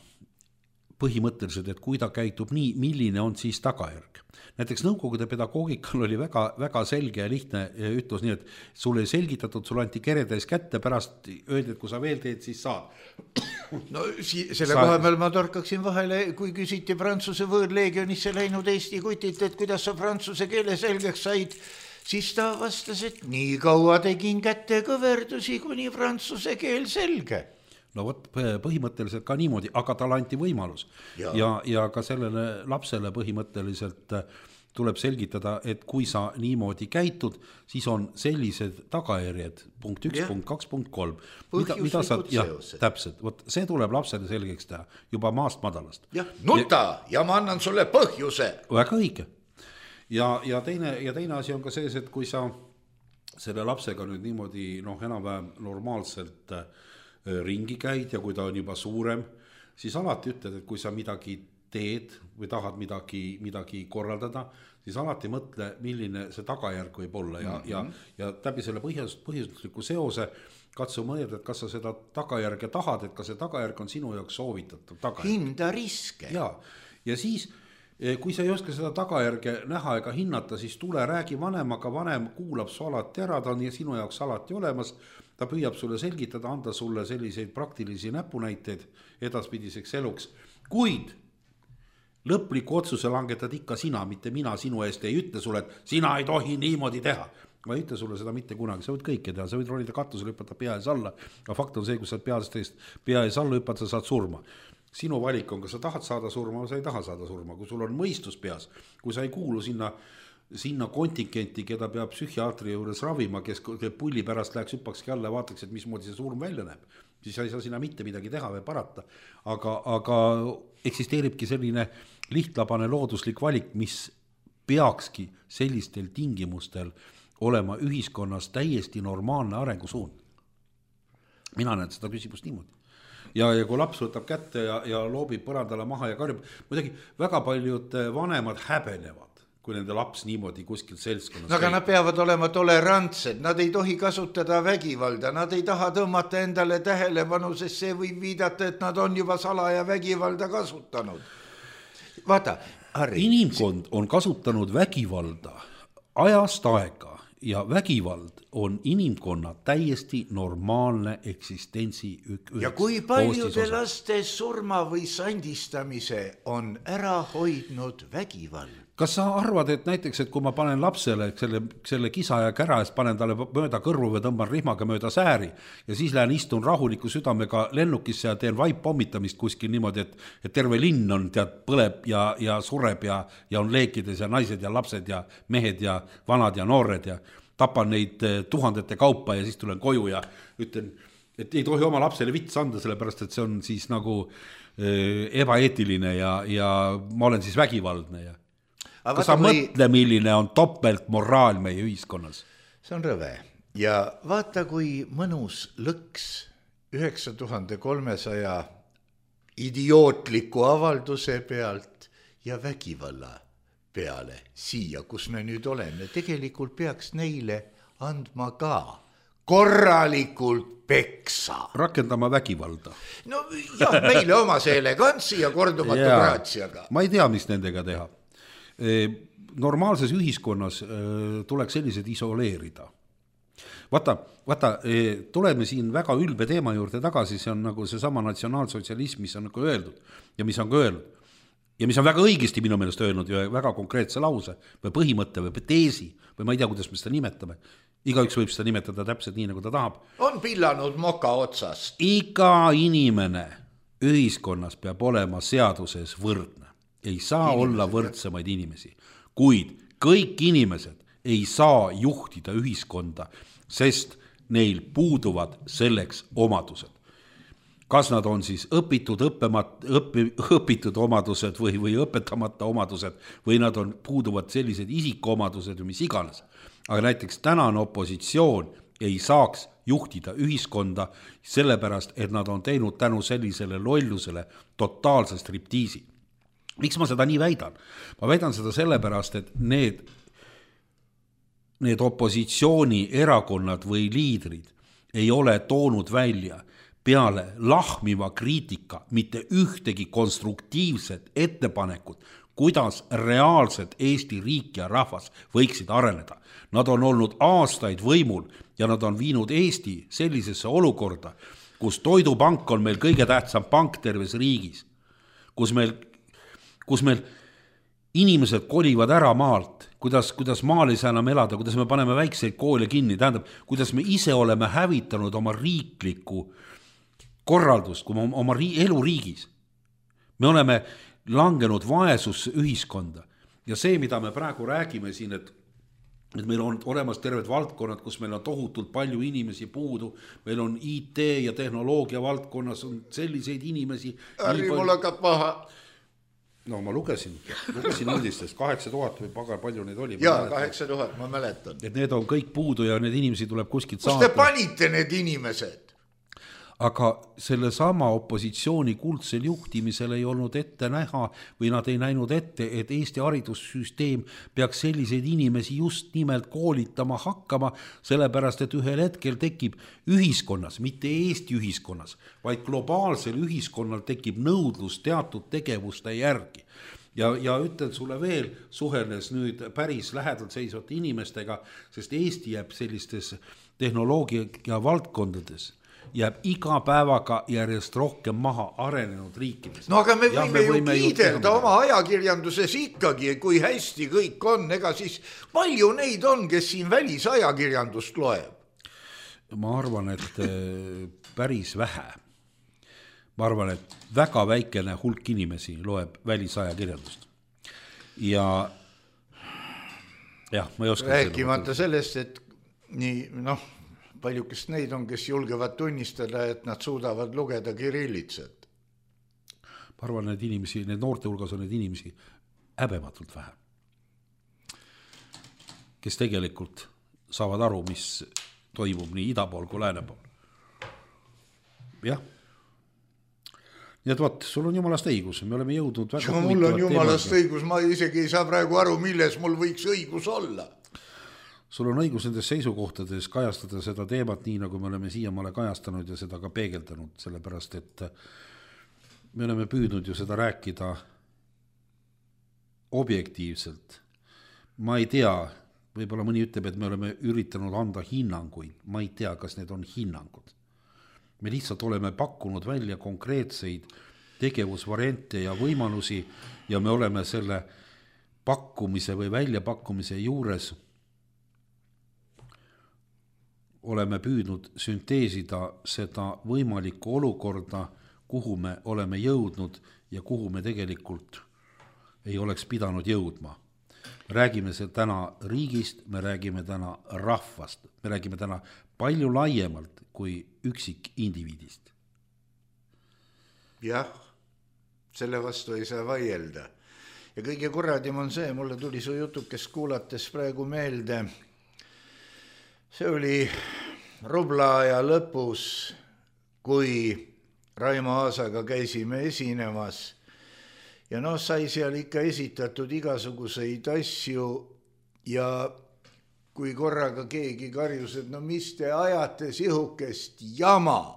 põhimõtteliselt, et kui ta käitub nii, milline on siis tagajärg. Näiteks nõukogude pedagoogikal oli väga, väga selge ja lihtne ütlus nii, et sulle ei selgitatud, sulle anti keretäis kätte, pärast öeldi, et kui sa veel teed, siis saad. No selle koha peal ma torkaksin vahele, kui küsiti Prantsuse võõrleegionisse läinud Eesti kutit, et kuidas sa prantsuse keele selgeks said, siis ta vastas, et nii kaua tegin kätte kõverdusi, kuni prantsuse keel selge. No võt, põhimõtteliselt ka niimoodi, aga talle anti võimalus ja, ja, ja ka sellele lapsele põhimõtteliselt tuleb selgitada, et kui sa niimoodi käitud, siis on sellised tagajärjed, punkt üks, ja. punkt kaks, punkt kolm. Mida, mida sa, jah, täpselt, võt, see tuleb lapsele selgeks teha juba maast madalast. Ja, nuta ja, ja ma annan sulle põhjuse. Väga õige. Ja, ja, teine, ja teine asi on ka see, et kui sa selle lapsega nüüd niimoodi noh, enam-vähem normaalselt ringi käid ja kui ta on juba suurem, siis alati ütled, et kui sa midagi teed või tahad midagi, midagi korraldada, siis alati mõtle, milline see tagajärg võib olla ja, mm-hmm. ja, ja läbi selle põhjus, põhjusliku seose katsu mõelda, et kas sa seda tagajärge tahad, et kas see tagajärg on sinu jaoks soovitatud tagajärg. Hinda riske. Ja, ja siis, kui sa ei oska seda tagajärge näha ega hinnata, siis tule räägi vanemaga, vanem kuulab su alati ära, ta on sinu jaoks alati olemas, ta püüab sulle selgitada, anda sulle selliseid praktilisi näpunäiteid edaspidiseks eluks, kuid lõpliku otsuse langetad ikka sina, mitte mina sinu eest ei ütle sulle, et sina ei tohi niimoodi teha. Ma ei ütle sulle seda mitte kunagi, sa võid kõike teha, sa võid ronida katusele, hüpata pea ees alla, aga fakt on see, kui sa peast eest pea ees alla hüppad, sa saad surma. sinu valik on, kas sa tahad saada surma või sa ei taha saada surma, kui sul on mõistus peas, kui sa ei kuulu sinna, sinna kontingenti, keda peab psühhiaatri juures ravima, kes pulli pärast läheks hüppakski alla ja vaataks, et mismoodi see surm välja näeb, siis ei saa sinna mitte midagi teha või parata. Aga, aga eksisteeribki selline lihtlabane looduslik valik, mis peakski sellistel tingimustel olema ühiskonnas täiesti normaalne arengusuund. Mina näen seda küsimust niimoodi. Ja, ja kui laps võtab kätte ja, ja loobib põrandale maha ja karjub, muidugi väga paljud vanemad häbenevad, kui nende laps niimoodi kuskil seltskonnas no, aga nad peavad olema tolerantsed, nad ei tohi kasutada vägivalda, nad ei taha tõmmata endale tähelepanu, sest see võib viidata, et nad on juba salaja vägivalda kasutanud. Vaata, Harri. Inimkond on kasutanud vägivalda ajast aega ja vägivald on inimkonna täiesti normaalne eksistentsi ük- ja kui paljude laste surma või sandistamise on ära hoidnud vägivald? Kas sa arvad, et näiteks, et kui ma panen lapsele selle, selle kisa ja kära eest, panen talle mööda kõrvu või tõmban rihmaga mööda sääri ja siis lähen istun rahuliku südamega lennukisse ja teen vaippommitamist kuskil niimoodi, et, et terve linn on tead põleb ja, ja sureb ja, ja on leekides ja naised ja lapsed ja mehed ja vanad ja noored ja tapan neid tuhandete kaupa ja siis tulen koju ja ütlen, et ei tohi oma lapsele vits anda, sellepärast et see on siis nagu äh, ebaeetiline ja, ja ma olen siis vägivaldne ja Aga kas sa või... mõtle, milline on topelt moraal meie ühiskonnas? See on rõve. Ja vaata, kui mõnus lõks üheksa tuhande kolmesaja idiootliku avalduse pealt ja vägivalla peale siia, kus me nüüd oleme. Tegelikult peaks neile andma ka korralikult peksa. Rakendama vägivalda. No jah, meile oma see elegantsi ja kordumatu ja, graatsiaga. Ma ei tea, mis nendega teha. Normaalses ühiskonnas tuleks sellised isoleerida. Vaata, vaata, tuleme siin väga ülbe teema juurde tagasi, see on nagu see sama natsionaalsotsialism, mis on nagu öeldud ja mis on ka öelnud. Ja mis on väga õigesti minu meelest öelnud ja väga konkreetse lause või põhimõtte või teesi või ma ei tea, kuidas me seda nimetame. Igaüks võib seda nimetada täpselt nii, nagu ta tahab. On pillanud moka otsast. Iga inimene ühiskonnas peab olema seaduses võrdne. Ei saa inimesed, olla võrdsemaid inimesi, kuid kõik inimesed ei saa juhtida ühiskonda, sest neil puuduvad selleks omadused. Kas nad on siis õpitud, õppemat, õpi, õpitud omadused või, või õpetamata omadused või nad on puuduvad sellised isikuomadused või mis iganes. Aga näiteks tänane opositsioon ei saaks juhtida ühiskonda sellepärast, et nad on teinud tänu sellisele lollusele totaalse striptiisi. Miks ma seda nii väidan? Ma väidan seda sellepärast, et need, need opositsiooni erakonnad või liidrid ei ole toonud välja peale lahmiva kriitika mitte ühtegi konstruktiivset ettepanekut, kuidas reaalselt Eesti riik ja rahvas võiksid areneda. Nad on olnud aastaid võimul ja nad on viinud Eesti sellisesse olukorda, kus toidupank on meil kõige tähtsam pank terves riigis, kus meil kus meil inimesed kolivad ära maalt, kuidas, kuidas maal ei saa enam elada, kuidas me paneme väikseid koole kinni, tähendab, kuidas me ise oleme hävitanud oma riiklikku korraldust, kui oma ri- elu riigis. Me oleme langenud vaesusse ühiskonda ja see, mida me praegu räägime siin, et, et meil on olemas terved valdkonnad, kus meil on tohutult palju inimesi puudu, meil on I T ja tehnoloogia valdkonnas on selliseid inimesi. Harri, mul hakkab paha. No ma lugesin, lugesin uudistest, kaheksa tuhat või pagar, palju neid oli. Jaa, kaheksa tuhat, ma mäletan. Et need on kõik puudu ja need inimesi tuleb kuskilt saata. Kus te panite need inimesed? Aga selle sama opositsiooni kuldsel juhtimisel ei olnud ette näha või nad ei näinud ette, et Eesti haridussüsteem peaks selliseid inimesi just nimelt koolitama hakkama, sellepärast et ühel hetkel tekib ühiskonnas, mitte Eesti ühiskonnas, vaid globaalsel ühiskonnal tekib nõudlus teatud tegevuste järgi. Ja, ja ütlen sulle veel, suheldes nüüd päris lähedalt seisvate inimestega, sest Eesti jääb sellistes tehnoloogia valdkondades jääb iga päevaga järjest rohkem maha arenenud riikides. No aga me võime, ja, me võime ju kiidelda oma ajakirjanduses ikkagi, kui hästi kõik on, ega siis palju neid on, kes siin välisajakirjandust loeb? Ma arvan, et päris vähe. ma arvan, et väga väikene hulk inimesi loeb välisajakirjandust. Ja jah, ma ei oska rääkimata sellest, et nii, noh, paljukest neid on, kes julgevad tunnistada, et nad suudavad lugeda kirillitsat. Ma arvan, need inimesi, need noorte hulgas on need inimesi häbematult vähe, kes tegelikult saavad aru, mis toimub nii ida pool kui lääne pool. Jah. Nii et võt, sul on jumalast õigus, me oleme jõudnud väga ja mul on jumalast teemaga. Õigus, ma isegi ei saa praegu aru, milles mul võiks õigus olla. Sul on õigus nendes seisukohtades kajastada seda teemat nii, nagu me oleme siiamaale kajastanud ja seda ka peegeldanud, sellepärast, et me oleme püüdnud ju seda rääkida objektiivselt. Ma ei tea, võib-olla mõni ütleb, et me oleme üritanud anda hinnanguid, ma ei tea, kas need on hinnangud. Me lihtsalt oleme pakkunud välja konkreetseid tegevusvariante ja võimalusi ja me oleme selle pakkumise või väljapakkumise juures oleme püüdnud sünteesida seda võimalikku olukorda, kuhu me oleme jõudnud ja kuhu me tegelikult ei oleks pidanud jõudma. Me räägime see täna riigist, me räägime täna rahvast, me räägime täna palju laiemalt kui üksik indiviidist. Jah, selle vastu ei saa vaielda. Ja kõige kurradim on see, mulle tuli su jutukest kuulates praegu meelde. See oli Rubla-aja lõpus, kui Raimo Aasaga käisime esinemas ja noh, sai seal ikka esitatud igasuguseid asju ja kui korraga keegi karjus, et no mis te ajate sihukest jama,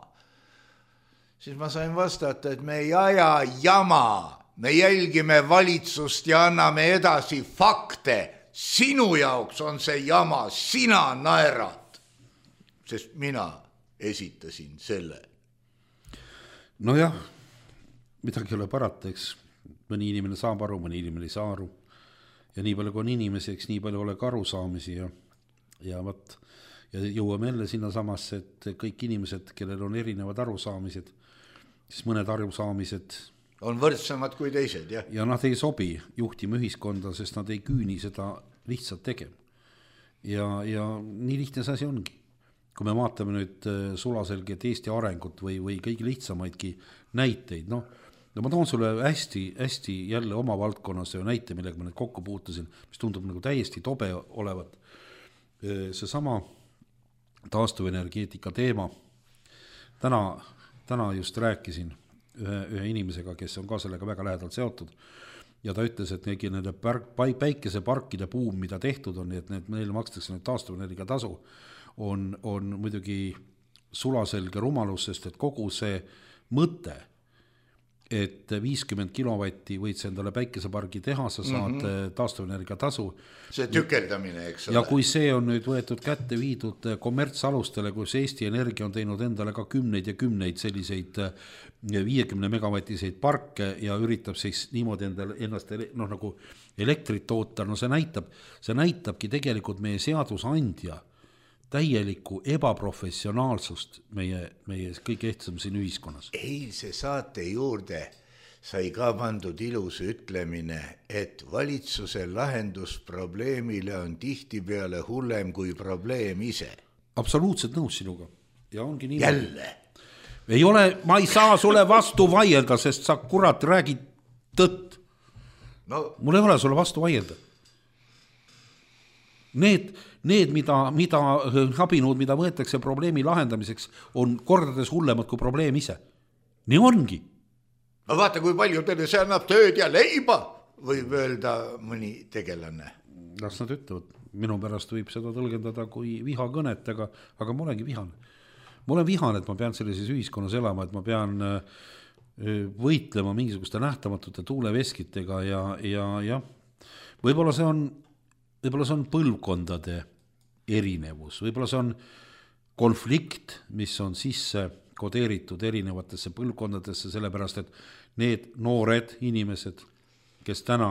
siis ma sain vastata, et me ei aja jama, me jälgime valitsust ja anname edasi fakte. Sinu jaoks on see jama, sina naerad, sest mina esitasin selle. No jah, midagi ei ole parata, eks mõni inimene saab aru, mõni inimene ei saa aru. Ja nii palju kui on inimesi, eks nii palju ole ka arusaamisi ja Ja, võt, ja jõuame jälle sinna samasse, et kõik inimesed, kellel on erinevad arusaamised, siis mõned arusaamised on võrdsemad kui teised, jah. Ja nad ei sobi juhtima ühiskonda, sest nad ei küüni seda lihtsalt tegema. Ja, ja nii lihtne see asi ongi. Kui me vaatame nüüd sulaselget Eesti arengut või, või kõige lihtsamaidki näiteid, noh, no ma toon sulle hästi, hästi jälle oma valdkonnas näite, millega ma nüüd kokku puutusin, mis tundub nagu täiesti tobe olevat. See sama taastuvenergeetika teema. Täna, täna just rääkisin ühe, ühe inimesega, kes on ka sellega väga lähedalt seotud ja ta ütles, et neegi nende päikeseparkide buum, mida tehtud on, et need meil makstakse nüüd taastuvenergia tasu, on, on muidugi sulaselge rumalus, sest et kogu see mõte, et viiskümmend kilovatti võid endale päikesepargi teha, sa saad mm-hmm. taastuvenergia tasu. See tükeldamine, eks ole. Ja kui see on nüüd võetud kätte viidud kommertsalustele, kus Eesti Energia on teinud endale ka kümneid ja kümneid selliseid viiekümne megavatiseid parke ja üritab siis niimoodi endale ennast noh, nagu elektrit toota, no see näitab, see näitabki tegelikult meie seadusandja täielikku ebaprofessionaalsust meie, meie kõige ehtsam siin ühiskonnas. Eilse saate juurde sai ka pandud ilus ütlemine, et valitsuse lahendus probleemile on tihtipeale hullem kui probleem ise. Absoluutselt nõus sinuga. Ja ongi nii. Jälle. Ei ole, ma ei saa sulle vastu vaielda, sest sa kurat räägid tõtt. No. Mul ei ole sulle vastu vaielda. Need, need mida, mida abinud, mida võetakse probleemi lahendamiseks, on kordades hullemad kui probleem ise. Nii ongi. No vaata, kui palju teile see annab tööd ja leiba, võib öelda mõni tegelane. Las nad ütlevad. Minu pärast võib seda tõlgendada kui vihakõnet, aga, aga ma olengi vihane. Ma olen vihane, et ma pean sellises ühiskonnas elama, et ma pean võitlema mingisuguste nähtamatute tuuleveskitega ja, ja, ja võib-olla see on Võib-olla see on põlvkondade erinevus, võib-olla see on konflikt, mis on sisse kodeeritud erinevatesse põlvkondadesse, sellepärast et need noored inimesed, kes täna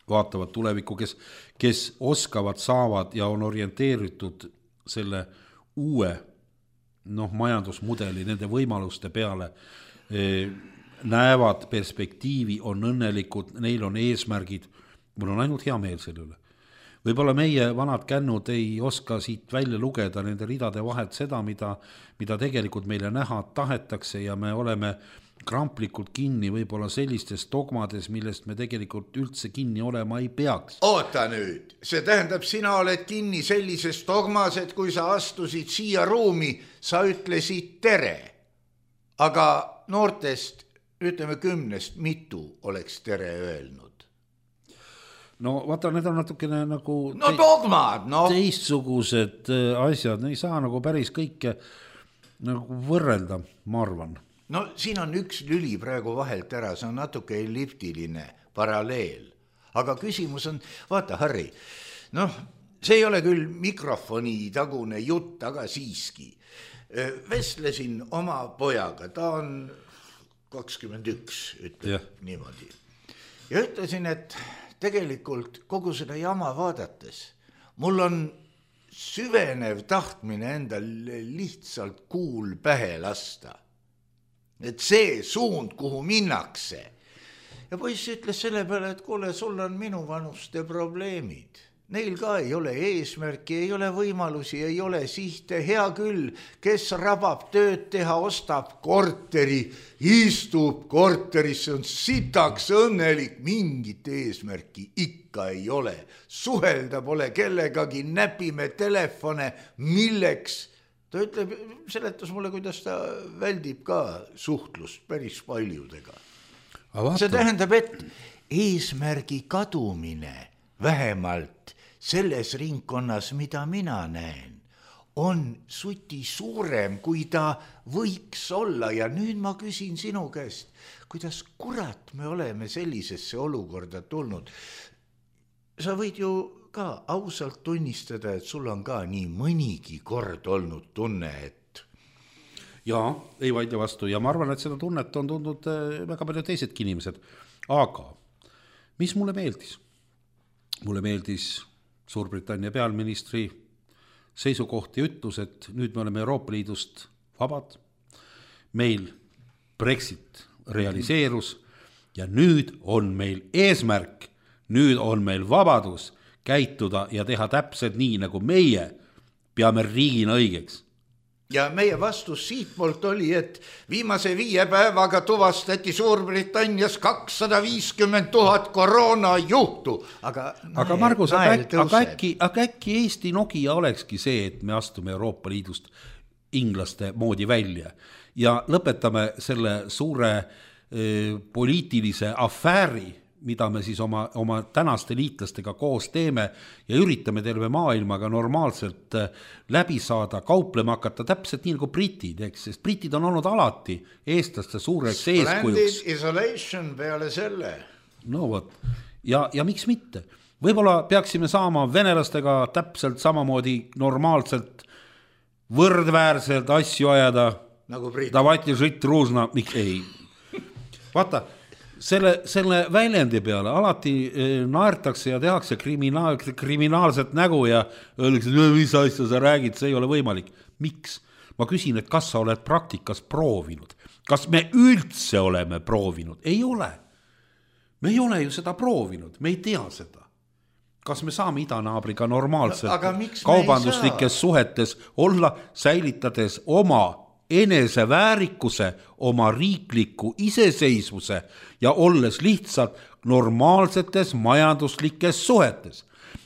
vaatavad tulevikku, kes, kes oskavad, saavad ja on orienteeritud selle uue noh, majandusmudeli, nende võimaluste peale, näevad perspektiivi, on õnnelikud, neil on eesmärgid, mul on ainult hea meel selle üle. Võib-olla meie vanad kännud ei oska siit välja lugeda nende ridade vahelt seda, mida, mida tegelikult meile näha tahetakse ja me oleme kramplikult kinni võib-olla sellistes dogmades, millest me tegelikult üldse kinni olema ei peaks. Oota nüüd, see tähendab, sina oled kinni sellises dogmas, et kui sa astusid siia ruumi, sa ütlesid tere. Aga noortest, ütleme kümnest, mitu oleks tere öelnud? No vaata, need on natukene nagu no, dogmad, no. teistsugused asjad, ei saa nagu päris kõike nagu võrrelda, ma arvan. No siin on üks lüli praegu vahelt ära, see on natuke elliptiline paralleel. Aga küsimus on, vaata Harri, noh, see ei ole küll mikrofoni tagune jutt, aga siiski. Vestlesin oma pojaga, ta on kakskümmend üks, ütleb yeah. niimoodi. Ja ütlesin, et tegelikult kogu seda jama vaadates, mul on süvenev tahtmine endal lihtsalt kuul pähe lasta. Et see suund, kuhu minnakse. Ja poiss ütles selle peale, et kuule, sul on minu vanuste probleemid. Neil ka ei ole eesmärki, ei ole võimalusi, ei ole sihte. Hea küll, kes rabab tööd teha, ostab korteri, istub korteris, see on sitaks õnnelik, mingit eesmärki ikka ei ole. Suhelda pole kellegagi, näpime telefone, milleks. Ta ütleb, seletas mulle, kuidas ta väldib ka suhtlust päris paljudega. See tähendab, et eesmärgi kadumine vähemalt selles ringkonnas, mida mina näen, on suti suurem, kui ta võiks olla. Ja nüüd ma küsin sinu käest, kuidas kurat me oleme sellisesse olukorda tulnud. Sa võid ju ka ausalt tunnistada, et sul on ka nii mõnigi kord olnud tunne, et... Jaa, ei vaidle vastu ja ma arvan, et seda tunnet on tundnud väga palju teisedki inimesed. Aga mis mulle meeldis? Mulle meeldis Suurbritannia pealministri seisukoht ja ütlus, et nüüd me oleme Euroopa Liidust vabad, meil Brexit realiseerus ja nüüd on meil eesmärk, nüüd on meil vabadus käituda ja teha täpselt nii, nagu meie peame riigina õigeks. Ja meie vastus siit poolt oli, et viimase viie päevaga tuvastati Suurbritannias kakssada viiskümmend tuhat koroona juhtu. Aga, aga Margus, aga äkki, aga, äkki, aga äkki Eesti Nokia olekski see, et me astume Euroopa Liidust inglaste moodi välja ja lõpetame selle suure eh, poliitilise afääri, mida me siis oma, oma tänaste liitlastega koos teeme ja üritame terve maailmaga normaalselt läbi saada, kauplema hakata täpselt nii nagu britid, eks, sest britid on olnud alati eestlaste suureks eeskujuks. Splendid isolation peale selle. No võt, ja, ja miks mitte? Võib-olla peaksime saama venelastega täpselt samamoodi normaalselt võrdväärselt asju ajada. Nagu britid. Davati žit ruusna, miks ei. Vaata, Selle, selle väljendi peale alati naertakse ja tehakse kriminaal, kriminaalset nägu ja öeldakse, mis asja sa räägid, see ei ole võimalik. Miks? Ma küsin, et kas sa oled praktikas proovinud? Kas me üldse oleme proovinud? Ei ole. Me ei ole ju seda proovinud, me ei tea seda. Kas me saame idanaabriga normaalselt kaubanduslikes suhetes olla, säilitades oma eneseväärikuse, oma riikliku iseseisvuse ja olles lihtsalt normaalsetes majanduslikes suhetes.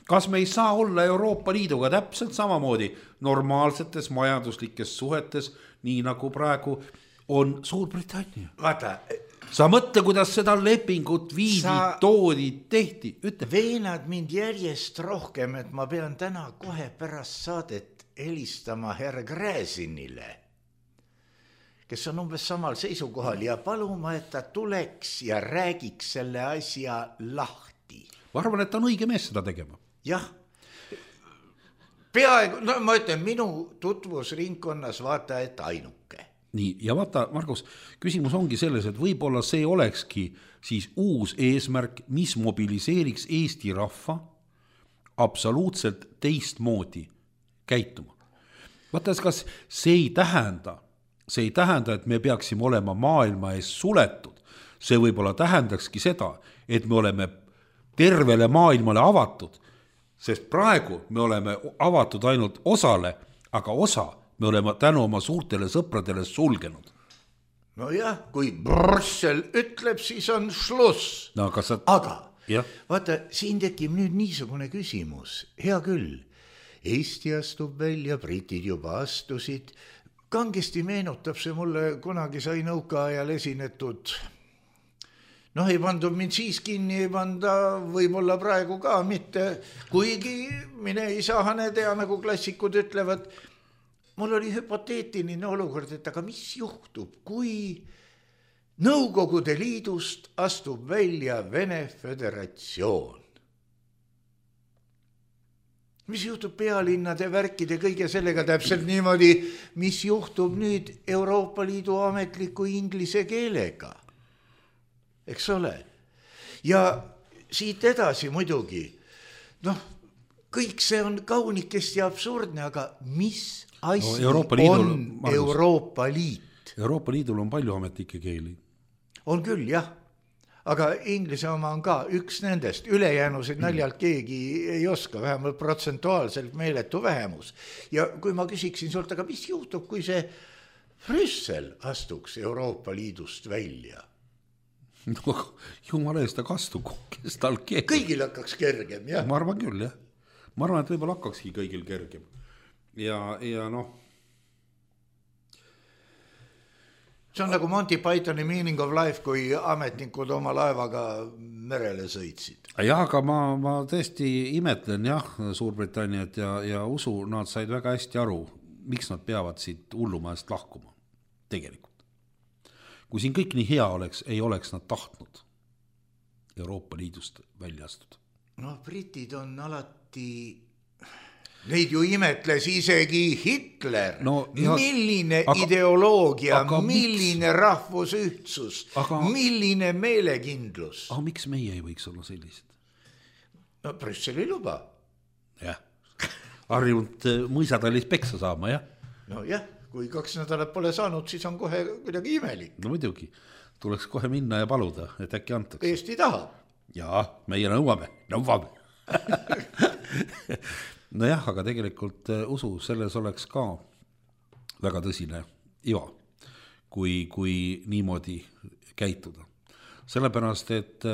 Kas me ei saa olla Euroopa Liiduga täpselt samamoodi normaalsetes majanduslikes suhetes, nii nagu praegu on Suurbritannia? Vaata, sa mõtle, kuidas seda lepingut viidi, sa... toodi, tehti. Ütle. Veenad mind järjest rohkem, et ma pean täna kohe pärast saadet helistama herr Gräzinile, kes on umbes samal seisukohal ja paluma, et ta tuleks ja räägiks selle asja lahti. Ma arvan, et ta on õige mees seda tegema. Jah. Peaaegu, no ma ütlen, minu tutvusringkonnas vaata, et ainuke. Nii, ja vaata, Margus, küsimus ongi selles, et võib-olla see olekski siis uus eesmärk, mis mobiliseeriks Eesti rahva absoluutselt teistmoodi käituma. Vaata, kas see ei tähenda, see ei tähenda, et me peaksime olema maailma ees suletud. See võib-olla tähendakski seda, et me oleme tervele maailmale avatud, sest praegu me oleme avatud ainult osale, aga osa me oleme tänu oma suurtele sõpradele sulgenud. No jah, kui Brüssel ütleb, siis on šluss. No, aga sa... aga ja. Vaata, siin tekib nüüd niisugune küsimus. Hea küll, Eesti astub välja, britid juba astusid. Kangesti meenutab see mulle, kunagi sai nõuka ajal esinetud... Noh, ei pandud mind siis kinni, ei panda võib-olla praegu ka mitte, kuigi mine ei saa hane tea, nagu klassikud ütlevad. Mul oli hüpoteetiline olukord, et aga mis juhtub, kui Nõukogude Liidust astub välja Vene Föderatsioon? Mis juhtub pealinnade värkide kõige sellega täpselt niimoodi, mis juhtub nüüd Euroopa Liidu ametliku inglise keelega? Eks ole. Ja siit edasi muidugi, noh, kõik see on kaunikesti absurdne, aga mis asi no, Euroopa Liidul, on Margus, Euroopa Liit? Euroopa Liidul on palju ametlikke keeli. On küll, jah. Aga inglise oma on ka üks nendest. Ülejäänusid naljalt keegi ei oska, vähemalt protsentuaalselt meeletu vähemus. Ja kui ma küsiksin sult, aga mis juhtub, kui see Brüssel astuks Euroopa Liidust välja? No, jumala eest ta kastu, kes tal keegi. Kõigil hakkaks kergem, jah? Ma arvan küll, jah. Ma arvan, et võib-olla hakkakski kõigil kergem. Ja, ja noh. See on nagu Monty Pythoni Meaning of Life, kui ametnikud oma laevaga merele sõitsid. Jah, aga ma, ma tõesti imetlen, jah, Suurbritanniat ja, ja usu, nad said väga hästi aru, miks nad peavad siit hullumaast lahkuma. Tegelikult. Kui siin kõik nii hea oleks, ei oleks nad tahtnud Euroopa Liidust välja astuda. No, britid on alati, neid ju imetles isegi Hitler. No, ja... Milline aga... ideoloogia, aga milline miks... rahvusühtsus, aga... milline meelekindlus. Aga miks meie ei võiks olla sellised? No, Brüssel ei luba. Jah, harjunud mõisatallis peksa saama, jah? No jah. Kui kaks nädalat pole saanud, siis on kohe kuidagi imelik. No muidugi, tuleks kohe minna ja paluda, et äkki antaks. Eesti tahab. Jaa, meie nõuame, nõuame. No jah, aga tegelikult usu, selles oleks ka väga tõsine iva, kui, kui niimoodi käituda. Sellepärast, et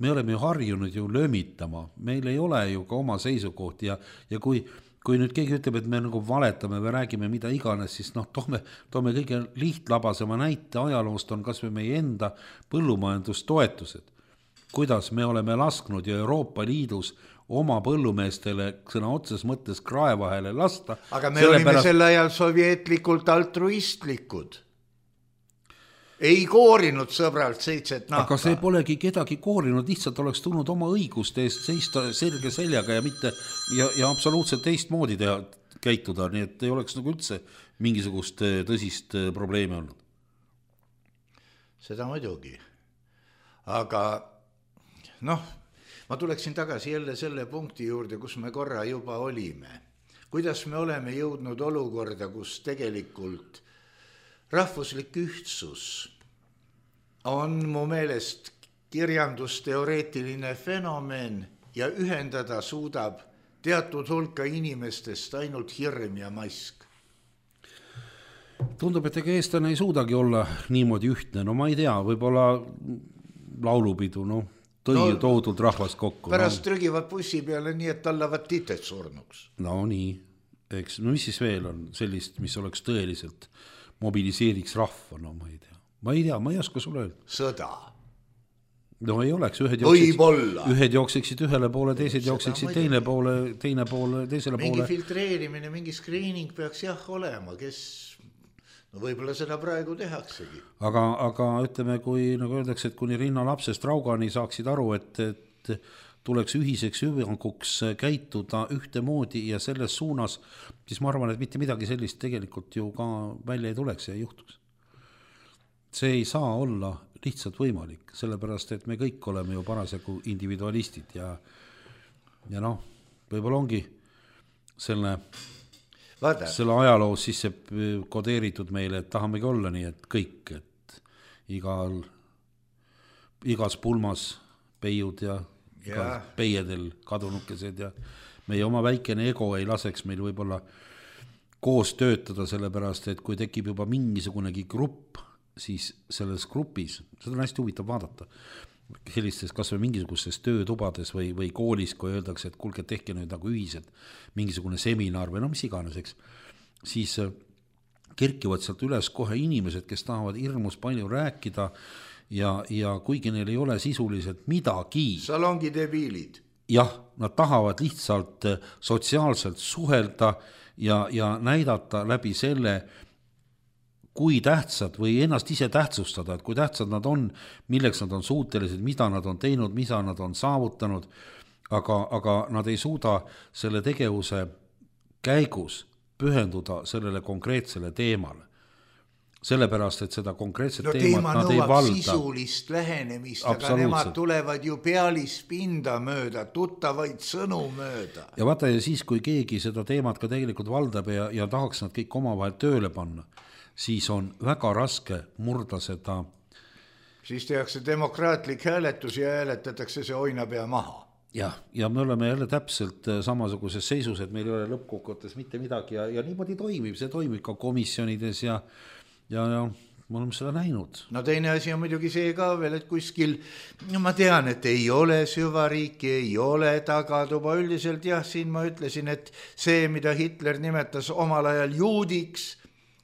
me oleme ju harjunud ju löömitama, meil ei ole ju ka oma seisukohti ja, ja kui Kui nüüd keegi ütleb, et me nagu valetame või räägime mida iganes, siis noh, toome, toome kõige lihtlabasema näite ajaloost on kas või meie enda põllumajandustoetused. Kuidas me oleme lasknud ju Euroopa Liidus oma põllumeestele sõna otses mõttes kraevahele lasta. Aga me olime pärast... sel ajal sovjetlikult altruistlikud. Ei koorinud sõbralt seitset nahka. Aga see polegi kedagi koorinud, lihtsalt oleks tulnud oma õiguste eest seista selge seljaga ja mitte ja, ja absoluutselt teist moodi teha, käituda, nii et ei oleks nagu üldse mingisugust tõsist probleemi olnud. Seda muidugi. Aga noh, ma tuleksin tagasi jälle selle punkti juurde, kus me korra juba olime. Kuidas me oleme jõudnud olukorda, kus tegelikult rahvuslik ühtsus on mu meelest kirjandusteoreetiline fenomen ja ühendada suudab teatud hulka inimestest ainult hirm ja mask. Tundub, et ega eestlane ei suudagi olla niimoodi ühtne. No ma ei tea, võib-olla laulupidu, no tõi no, toodult rahvast kokku. Pärast no. trügivad bussi peale nii, et tallavad titet surnuks. No nii, eks, no mis siis veel on sellist, mis oleks tõeliselt mobiliseeriks rahva, no ma ei tea. Ma ei tea, ma ei oska sulle öelda. Sõda. No ei oleks, ühed jookseksid, ühed jookseksid ühele poole, teised jookseksid teine poole, teine poole, teisele mingi poole. Mingi filtreerimine, mingi screening peaks jah olema, kes, no võib-olla seda praegu tehaksegi. Aga, aga ütleme, kui nagu öeldakse, et kuni rinna lapsest raugani saaksid aru, et, et tuleks ühiseks hüvanguks käituda ühte moodi ja selles suunas, siis ma arvan, et mitte midagi sellist tegelikult ju ka välja ei tuleks ja ei juhtuks. See ei saa olla lihtsalt võimalik, sellepärast, et me kõik oleme ju parasjagu individualistid ja, ja noh, võib-olla ongi selle... Vaada. selle ajaloos sisse kodeeritud meile, et tahamegi olla nii, et kõik, et igal, igas pulmas peiud ja, ja. peiedel kadunukesed ja meie oma väikene ego ei laseks meil võib-olla koos töötada, sellepärast, et kui tekib juba mingisugunegi grupp, siis selles grupis, seda on hästi huvitav vaadata, sellistes kas või mingisugustes töötubades või, või koolis, kui öeldakse, et kuulge, tehke nüüd nagu ühised mingisugune seminar või no mis iganes, eks, siis kerkivad sealt üles kohe inimesed, kes tahavad hirmus palju rääkida ja, ja kuigi neil ei ole sisuliselt midagi. Salongi debiilid. Jah, nad tahavad lihtsalt sotsiaalselt suhelda ja, ja näidata läbi selle, kui tähtsad või ennast ise tähtsustada, et kui tähtsad nad on, milleks nad on suutelised, mida nad on teinud, mida nad on saavutanud, aga, aga nad ei suuda selle tegevuse käigus pühenduda sellele konkreetsele teemale. Sellepärast, et seda konkreetset no, teemat nad ei valda. Sisulist lähenemist, aga nemad tulevad ju pealispinda mööda, tuttavaid sõnu mööda. Ja vaata, ja siis, kui keegi seda teemat ka tegelikult valdab ja, ja tahaks nad kõik omavahel tööle panna, siis on väga raske murda seda. Siis tehakse demokraatlik hääletus ja hääletatakse see oinapea maha. Jah, ja me oleme jälle täpselt samasuguses seisus, et meil ei ole lõppkokkuvõttes mitte midagi ja, ja niimoodi toimib, see toimib ka komisjonides ja, ja, ja me oleme seda näinud. No teine asi on muidugi see ka veel, et kuskil, no ma tean, et ei ole süvariiki, ei ole tagatuba üldiselt, jah, siin ma ütlesin, et see, mida Hitler nimetas omal ajal juudiks,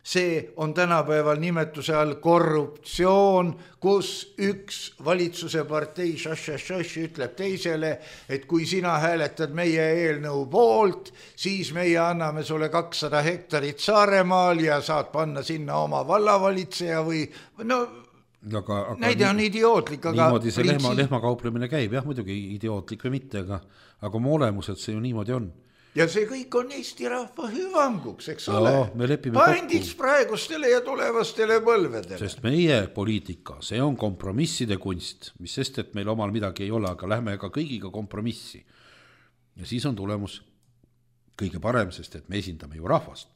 see on tänapäeval nimetuse all korruptsioon, kus üks valitsuse partei šaš-šaš-šaš ütleb teisele, et kui sina hääletad meie eelnõu poolt, siis meie anname sulle kakssada hektarit Saaremaal ja saad panna sinna oma vallavalitseja või no aga, aga näide on idiootlik. Aga niimoodi see lehma, lehmakauplemine käib, jah, muidugi idiootlik või mitte, aga, aga oma olemuselt see ju niimoodi on. Ja see kõik on Eesti rahva hüvanguks, eks no, ole. Pandiks praegustele ja tulevastele põlvedele. Sest meie poliitika, see on kompromisside kunst, mis sest, et meil omal midagi ei ole, aga lähme ka kõigiga kompromissi. Ja siis on tulemus kõige parem, sest et me esindame ju rahvast.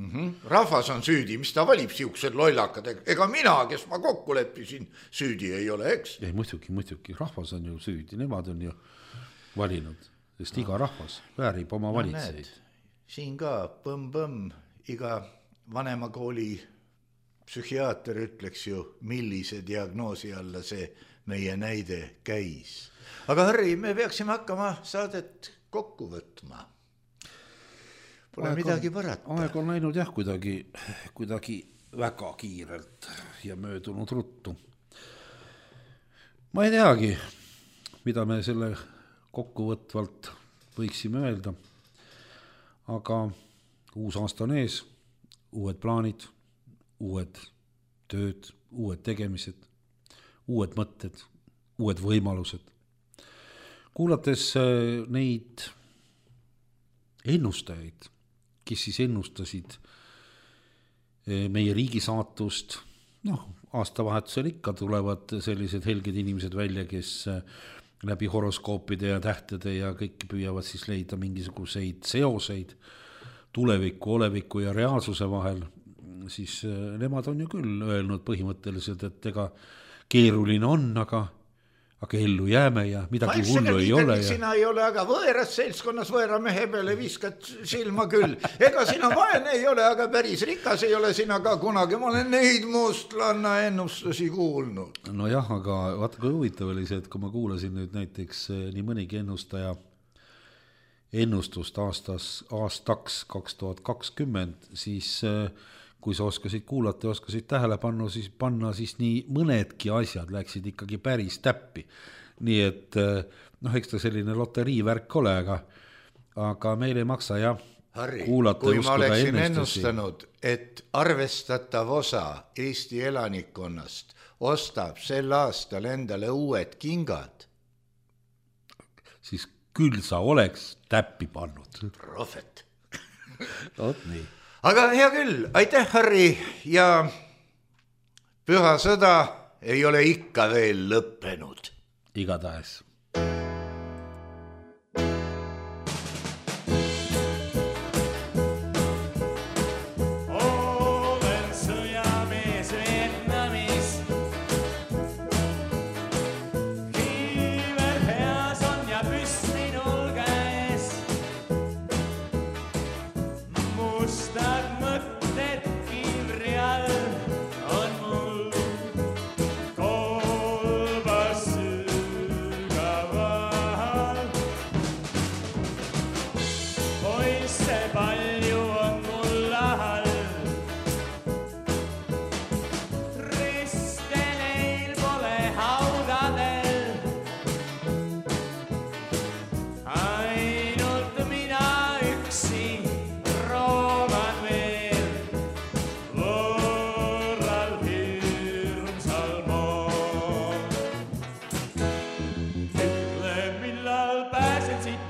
Mm-hmm. Rahvas on süüdi, mis ta valib siuksed lollakad, ega mina, kes ma kokku leppisin, süüdi ei ole, eks? Ei, muidugi, muidugi, rahvas on ju süüdi, nemad on ju valinud. Sest iga rahvas väärib oma valitseid. No, siin ka põmm-põmm, iga vanemakooli psühhiaater ütleks ju, millise diagnoosi alla see meie näide käis. Aga Harri, me peaksime hakkama saadet kokku võtma. Pole aeg midagi on, parata. Aeg on läinud jah kuidagi, kuidagi väga kiirelt ja möödunud ruttu. Ma ei teagi, mida me selle kokkuvõtvalt võiksime öelda, aga uus aasta on ees, uued plaanid, uued tööd, uued tegemised, uued mõtted, uued võimalused. Kuulates neid ennustajaid, kes siis ennustasid meie riigi saatust, noh, aastavahetusel ikka tulevad sellised helged inimesed välja, kes läbi horoskoopide ja tähtede ja kõik püüavad siis leida mingisuguseid seoseid tuleviku, oleviku ja reaalsuse vahel, siis nemad on ju küll öelnud põhimõtteliselt, et ega keeruline on, aga, aga ellu jääme ja midagi hullu ei ole. Ja... Sina ei ole, aga võeras seltskonnas võera mehe peale viskad silma küll. Ega sina vaene ei ole, aga päris rikas ei ole sina ka kunagi. Ma olen neid mustlanna ennustusi kuulnud. No jah, aga vaata kui huvitav oli see, et kui ma kuulasin nüüd näiteks nii mõnigi ennustaja ennustust aastas, aastaks kaks tuhat kakskümmend, siis kui sa oskasid kuulata ja oskasid tähele panna, siis panna, siis nii mõnedki asjad läksid ikkagi päris täppi. Nii et, noh, eks ta selline loteriivärk ole, aga, aga meil ei maksa jah Harri, kuulata. Kui ma oleksin ennustanud, et arvestatav osa Eesti elanikkonnast ostab sel aastal endale uued kingad, siis küll sa oleks täppi pannud. Prohvet. Oot nii. Aga hea küll, aitäh Harri ja püha sõda ei ole ikka veel lõppenud. Igatahes.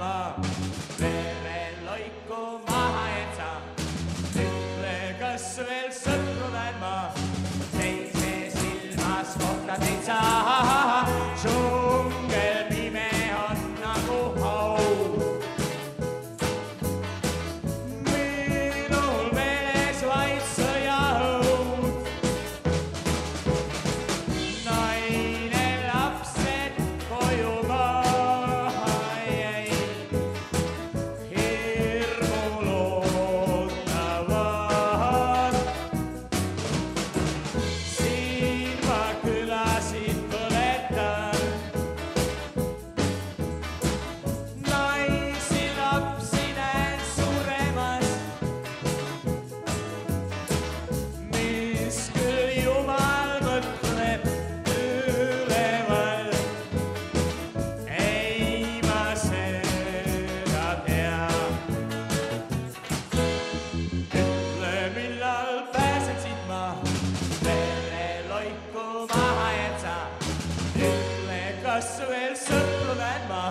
ma veren loiku maha jätsa. Ütle, kas veel sõpru näen ma, teise silmas kohta teid saa. Džungel pime on nagu haud. Minul meeles vaid sõjaõud. Naine lapsed koju maha jäi. Hirmul ootavad. Siin ma külasid põletan. Naisi lapsi näen suremas. Mis küll Jumal mõtleb üleval. Ei ma seda tea. Ütle, millal pääsen siit ma, vere loiku maha jätsa. Ütle, kas veel sõpru näen ma,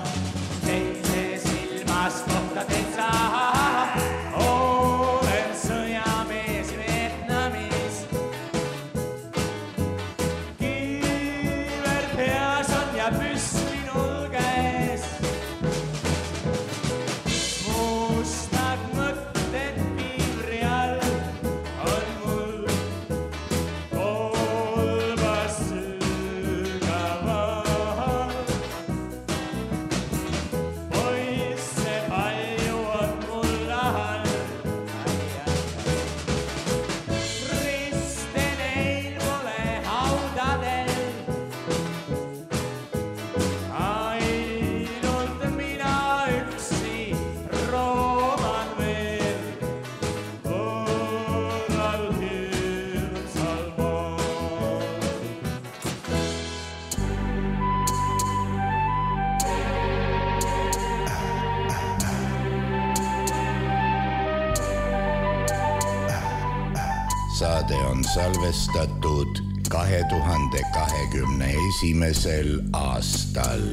teise silmas kohta teid saa. Olen sõjamees Vietnamis. Kiiver peas on ja püss minul käes. Mustad mõtted kiivri all on mul kolbas sügaval. Poisse palju on mul ahal. Riste neil pole haudadel. Ainult mina üksi rooman veel võõral hirmsal maal. Saade on salvestatud kahe tuhande kahekümne esimesel aastal.